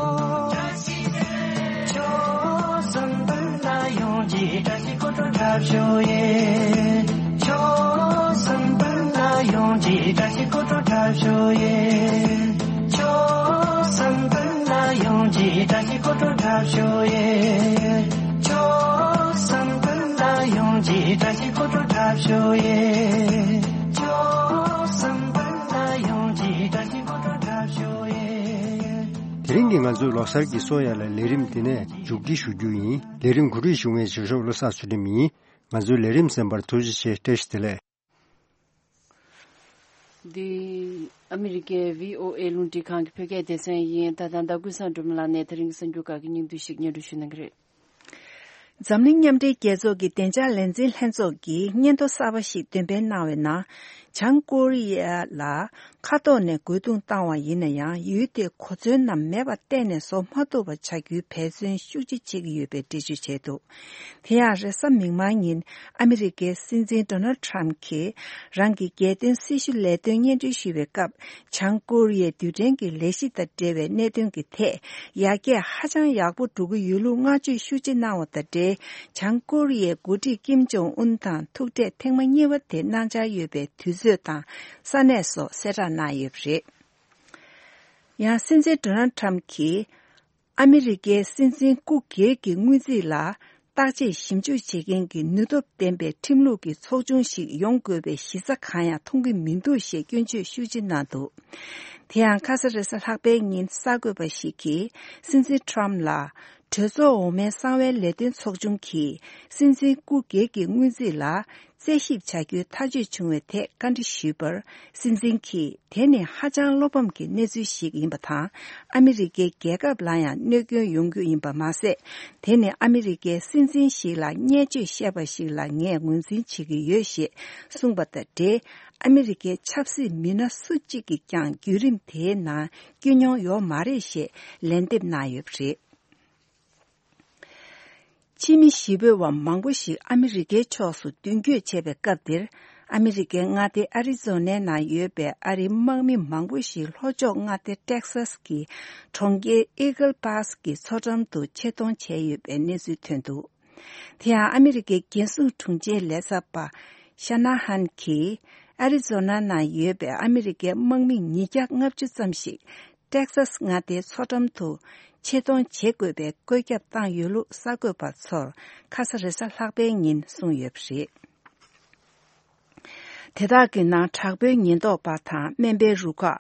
ཆོས་སམ་བོན་ལ་ཡོངས་ཀྱི་བཀྲ་ཤིས་སྐུ་ཕྲེང་འཁྲབ་ཤོག་ཨེ། ཆོས་སམ་བོན་ལ་ཡོངས་ཀྱི་བཀྲ་ཤིས་སྐུ་ཕྲེང་འཁྲབ་ཤོག་ཨེ། ཆོས་སམ་བོན་ལ་ཡོངས་ཀྱི་བཀྲ་ཤིས་སྐུ་ཕྲེང་འཁྲབ་ཤོག་ཨེ། ཆོས་སམ་བོན་ལ་ཡོངས་ཀྱི་བཀྲ་ཤིས་སྐུ་ཕྲེང་འཁྲབ་ཤོག་ཨེ། ཆོས་སམ་བོན་ལ་ཡོངས་ཀྱི་བཀྲ་ཤིས་སྐུ་ཕྲེང་འཁྲབ་ཤོག་ཨེ། དེ་རིང་གི་ང་ཚོའི་ལོ་གསར་གྱི་གསོལ་ཡ་ལ་ལས་རིམ་འདི་ནས་མཇུག་སྒྲིལ་ཞུ་རྒྱུ་ཡིན། ལས་རིམ་གོ་སྒྲིག་ཞུ་མཁན་བྱེད་ཤོག་བློ་བཟང་ཚུལ་ཁྲིམས་ཡིན། ང་ཚོའི་ལས་རིམ་གསན་པར་ཐུགས་རྗེ་ཆེ། བཀྲ་ཤིས་བདེ་ལེགས། འདི་ཨ་མི་རི་ཀའི་བྷི་ཨོ་ཨེ་རླུང་འཕྲིན་ཁང་གི་བོད་སྐད་སྡེ་ཚན་ཡིན། ད་ལྟ་ཟླ་ཀུན་བཟང་སྒྲོལ་མ་ལགས་ནས་དེ་རིང་གི་གསར་འགྱུར་ཁག་གི་སྙིང་བསྡུས་ཤིག་སྙན་སྒྲོན་ཞུ་གནང་གི་རེད། འཛམ་གླིང་མཉམ་འབྲེལ་རྒྱལ་ཚོགས་ཀྱི་བདེ་འཇགས་ལས་འཛིན་ལྷན་ཚོགས་ཀྱིས་སྙན་ཐོ་གསར་པ་ཞིག་འདོན་སྤེལ་གནང་བའི་ནང་། བྱང་ཀོ་རི་ཡ་ལ་མཁའ་ཐོག་ནས་རྒོལ་རྡུང་བཏང་བ་ཡིན་ན་ཡང་། ཡུལ་དེའི་གོ་མཚོན་རྣམས་མེད་པར་གཏན་ནས་བཟོ་མ་ཐུབ་པ་བྱ་རྒྱུའི་འབད་བརྩོན་ཤུགས་ཆེ་བྱེད་ཀྱི་ཡོད་པའི་འགྲེལ་བརྗོད་བྱས་འདུག་དེ་ཡང་རེས་གཟའ་མིག་དམར་ཉིན་ཨ་མི་རི་ཀའི་སྲིད་འཛིན་ཌོ་ནལ་ཌི་ཊརམ་གྱིས་རང་གི་རྒྱལ་དོན་སྲི་ཞུ་ལས་དོན་སྙན་སྒྲོན་ཞུ་བའི་སྐབས། བྱང་ཀོ་རི་ཡའི་རྡུལ་ཕྲན་གྱི་ལས་གཞི་དང་འབྲེལ་བའི་གནད་དོན་གྱི་ཐད། ཡར་རྒྱས་ཧ་ཅང་ཡག་པོ་འགྲོ་གི་ཡོད་ལུགས་བསྔགས་བརྗོད་ཤུགས་ཆེ་གནང་བ་དང་འབྲེལ། བྱང་ཀོ་རི་ཡའི་འགོ་ཁྲིད་ཀིམ་ཇོང་ཨུན་དང་ཐུག་འཕྲད་ཐེངས་མ་གཉིས་པ་དེ་གནང་འཆར་ཡོད་པའི་དུས་ཚོད་དང་ས་གནས་སོགས་གསལ་བསྒྲགས་གནང་ཡོད་པ་རེད། ཡང་སྲིད་འཛིན་ཌོ་ནལ་ཌི་ཊརམ་གྱིས། ཨ་མི་རི་ཀའི་སྲིད་འཛིན་སྐུ་སྒེར་གྱི་དངུལ་རྩིས་ལ་བརྟག་དཔྱད་ཞིབ་འཇུག་བྱེད་མཁན་གྱི་ནུས་སྟོབས་ལྡན་པའི་ཁྲིམས་ལུགས་ཀྱི་ཚོགས་ཆུང་ཞིག་ཡོང་དགོས་པའི་གཞི་རྩ་གང་ཡང་མཐོང་གི་མི་འདུག་ཞེས་སྐྱོན་བརྗོད་ཤུགས་ཆེ་གནང་འདུག་དེ་ཡང་ཁ་ས་རེས་གཟའ་ལྷག་པའི་ཉིན་གསར་འགོད་པ་ཞིག་གིས་སྲིད་འཛིན་ཊརམ་ལ་གྲོས་ཚོགས་འོག་མའི་གསང་བའི་ལས་དོན་ཚོགས་ཆུང་གིས་སྲིད་འཛིན་སྐུ་སྒེར་གྱི་དངུལ་རྩིས་ལ། རྩད་ཞིབ་བྱ་རྒྱུའི་ཐག་གཅོད་བྱུང་བའི་ཐད་བཀའ་འདྲི་ཞུས་པར། སྲིད་འཛིན་གྱིས་དེ་ནི་ཧ་ཅང་བློ་ཕམ་གྱི་གནས་ཚུལ་ཞིག་ཡིན་པ་དང་། ཨ་མི་རི་ཀའི་རྒྱལ་ཁབ་ལ་ཡང་གནོད་སྐྱོན་ཡོང་རྒྱུ་ཡིན་པ་མ་ཟད། དེ་ནི་ཨ་མི་རི་ཀའི་སྲིད་འཛིན་ཞིག་ལ་བརྙས་བཅོས་བཤད་པ་ཞིག་ལ་ངས་ངོས་འཛིན་བྱེད་ཀྱི་ཡོད་ཞེས་གསུངས་པ་དང་འབྲེལ། ཨ་མི་རི་ཀའི་ཆབ་སྲིད་མི་སྣ་སུ་གཅིག་གིས་ཀྱང་བརྒྱུད་རིམ་དེའི་ནང་བསྐྱོད་མྱོང་ཡོད་མ་རེད་ཞེས་ལན་འདེབས་གནང་ཡོད་པ་རེད། ཕྱི་མི་གཞིས་སྤོས་པ་མང་པོ་ཞིག་ཨ་མི་རི་ཀའི་ཕྱོགས་སུ་མདུན་སྐྱོད་བྱས་པའི་སྐབས་འདིར། ཨ་མི་རི་ཀའི་མངའ་སྡེ་ཨ་རི་ཛོ་ནའི་ནང་ཡོད་པའི་ཨ་རིའི་དམག་མི་མང་པོ་ཞིག་ལྷོ་ཕྱོགས་མངའ་སྡེ་ཊེག་སཱས་ཀྱི་གྲོང་ཁྱེར་ཨི་གལ་པཱས་ཀྱི་མཚོ་འགྲམ་དུ་ཆེད་གཏོང་བྱས་ཡོད་པའི་གནས་ཚུལ་ཐོན་འདུག་དེ་ཡང་ཨ་མི་རི་ཀའི་རྒྱལ་སྲུང་དྲུང་ཆེའི་ལས་ཚབ་པ་ཤ་ན་ཧན་གྱིས། ཨ་རི་ཛོ་ན་ནང་ཡོད་པའི་ཨ་མི་རི་ཀའི་དམག་མི་ཉིས་བརྒྱ་ལྔ་བཅུ་ཙམ་ཞིག་ཊེག་སཱས་མངའ་སྡེའི་མཚོ་འགྲམ་དུ་ཆེད་གཏོང་བྱེད་དགོས་པའི་བཀོད་ཁྱབ་བཏང་ཡོད་ལུགས་གསར་འགོད་པ་ཚོར་ཁ་ས་རེས་གཟའ་ལྷག་པའི་ཉིན་གསུངས་ཡོད་པ་རེད། དེ་དག་གི་ནང་དྲག་པོའི་ཉེན་རྟོག་པ་དང་སྨན་པའི་རུ་ཁག་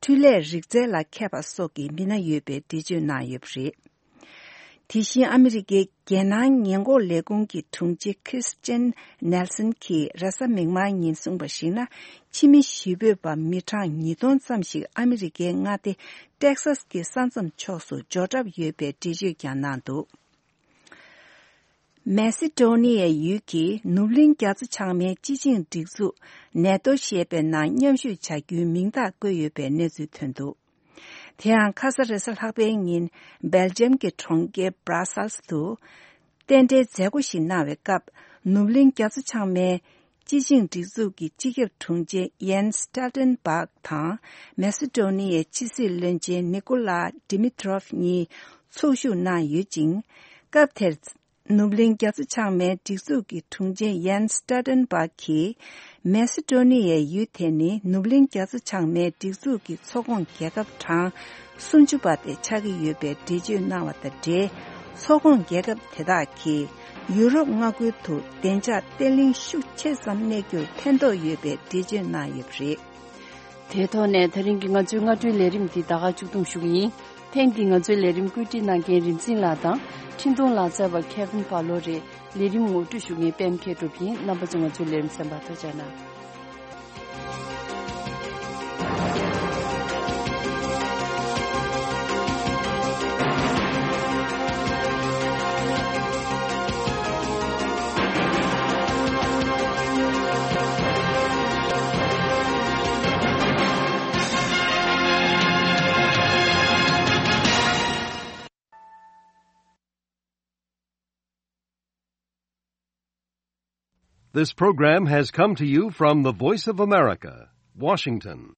འཕྲུལ་ལས་རིག་རྩལ་ལ་མཁས་པ་སོགས་ཀྱི་མི་སྣ་ཡོད་པའི་འགྲེལ་བརྗོད་གནང་ཡོད་པ་རེད། དེ་བཞིན་ཨ་མི་རི་ཀའི་རྒྱལ་ནང་ཉེན་འགོག་ལས་ཁུངས་ཀྱི་དྲུང་ཆེ་ཁྲིས་ཅན་ནེལ་སན་གྱིས་རེས་གཟའ་མིག་དམར་ཉིན་གསུངས་པར་གཞིགས་ན། ཕྱི་མི་གཞིས་སྤོས་པ་མི་གྲངས་ཉིས་སྟོང་ཙམ་ཞིག་ཨ་མི་རི་ཀའི་མངའ་སྡེ་ཊེག་སཱས་ཀྱི་ས་མཚམས་ཕྱོགས་སུ་འབྱོར་གྲབས་ཡོད་པའི་འགྲེལ་བརྗོད་ཀྱང་གནང་འདུག་མེ་སི་ཏྲོ་ནི་ཡའི་ཡུལ་གྱི་ནུབ་གླིང་རྒྱ་མཚོ་བྱང་མའི་སྤྱི་ཆིངས་སྒྲིག་འཛུགས་ནེ་ཏོ་ཞེས་པའི་ནང་མཉམ་ཞུགས་བྱ་རྒྱུའི་མིང་རྟགས་བཀོད་ཡོད་པའི་གནས་ཚུལ་ཐོན་འདུག་དེ་ཡང་ཁ་ས་རེས་གཟའ་ལྷག་པའི་ཉིན་སྦེལ་ཇམ་གྱི་གྲོང་ཁྱེར་Brussels དུ་རྟེན་འབྲེལ་མཛད་སྒོ་ཞིག་གནང་བའི་སྐབས། ནུབ་གླིང་རྒྱ་མཚོ་བྱང་མའི་སྤྱི་ཆིངས་སྒྲིག་འཛུགས་ཀྱི་སྤྱི་ཁྱབ་དྲུང་ཆེ་Jens Stoltenberg དང་མེ་སི་ཏོ་ནི་ཡའི་ཕྱི་སྲིད་བློན་ཆེན་Nikola Dimitrov གཉིས་ཚོགས་ཞུགས་གནང་ཡོད་ཅིང་། སྐབས་དེར་ནུབ་གླིང་རྒྱ་མཚོ་བྱང་མའི་སྒྲིག་འཛུགས་ཀྱི་དྲུང་ཆེ་Jens Stoltenberg གིས། མེ་སི་ཏོ་ནི་ཡའི་ཡུལ་དེ་ནི་ནུབ་གླིང་རྒྱ་མཚོ་བྱང་མའི་སྒྲིག་འཛུགས་ཀྱི་ཚོགས་ཁོངས་རྒྱལ་ཁབ་གྲངས་སུམ་ཅུ་པ་དེ་ཆགས་ཀྱི་ཡོད་པའི་འགྲེལ་བརྗོད་གནང་བ་དང་འབྲེལ། ཚོགས་ཁོངས་རྒྱལ་ཁབ་དེ་དག་གིས་ཡུ་རོབ་མངའ་ཁུལ་དུ་བདེ་འཇགས་བརྟན་ལྷིང་ཤུགས་ཆེ་ཙམ་གནས་རྒྱུར་ཕན་ཐོགས་ཡོད་པའི་འགྲེལ་བརྗོད་གནང་ཡོད་པ་རེད། དེའི་ཐོག་ནས་ད་རིང་གི་ང་ཚོའི་སྔ་དྲོའི་ལས་རིམ་འདི་ད་ག་མཇུག་བསྡོམས་ཞུ་གི་ཡིན། ཐེངས་འདིའི་ང་ཚོའི་ལས་རིམ་བཀོད་སྒྲིག་གནང་མཁན་རིག་འཛིན་ལགས་དང་། འཕྲིན་གཏོང་ལག་རྩལ་བ་Kevin Barlow རེད། ལས་རིམ་ངོ་སྤྲོད་ཞུ་མཁན་པད་མ་མཁས་གྲུབ་ཡིན། རྣམ་པ་ཚོ་ང་ཚོའི་ལས་རིམ་གསན་པར་ཐུགས་རྗེ་གནང་། This program has come to you from the Voice of America, Washington.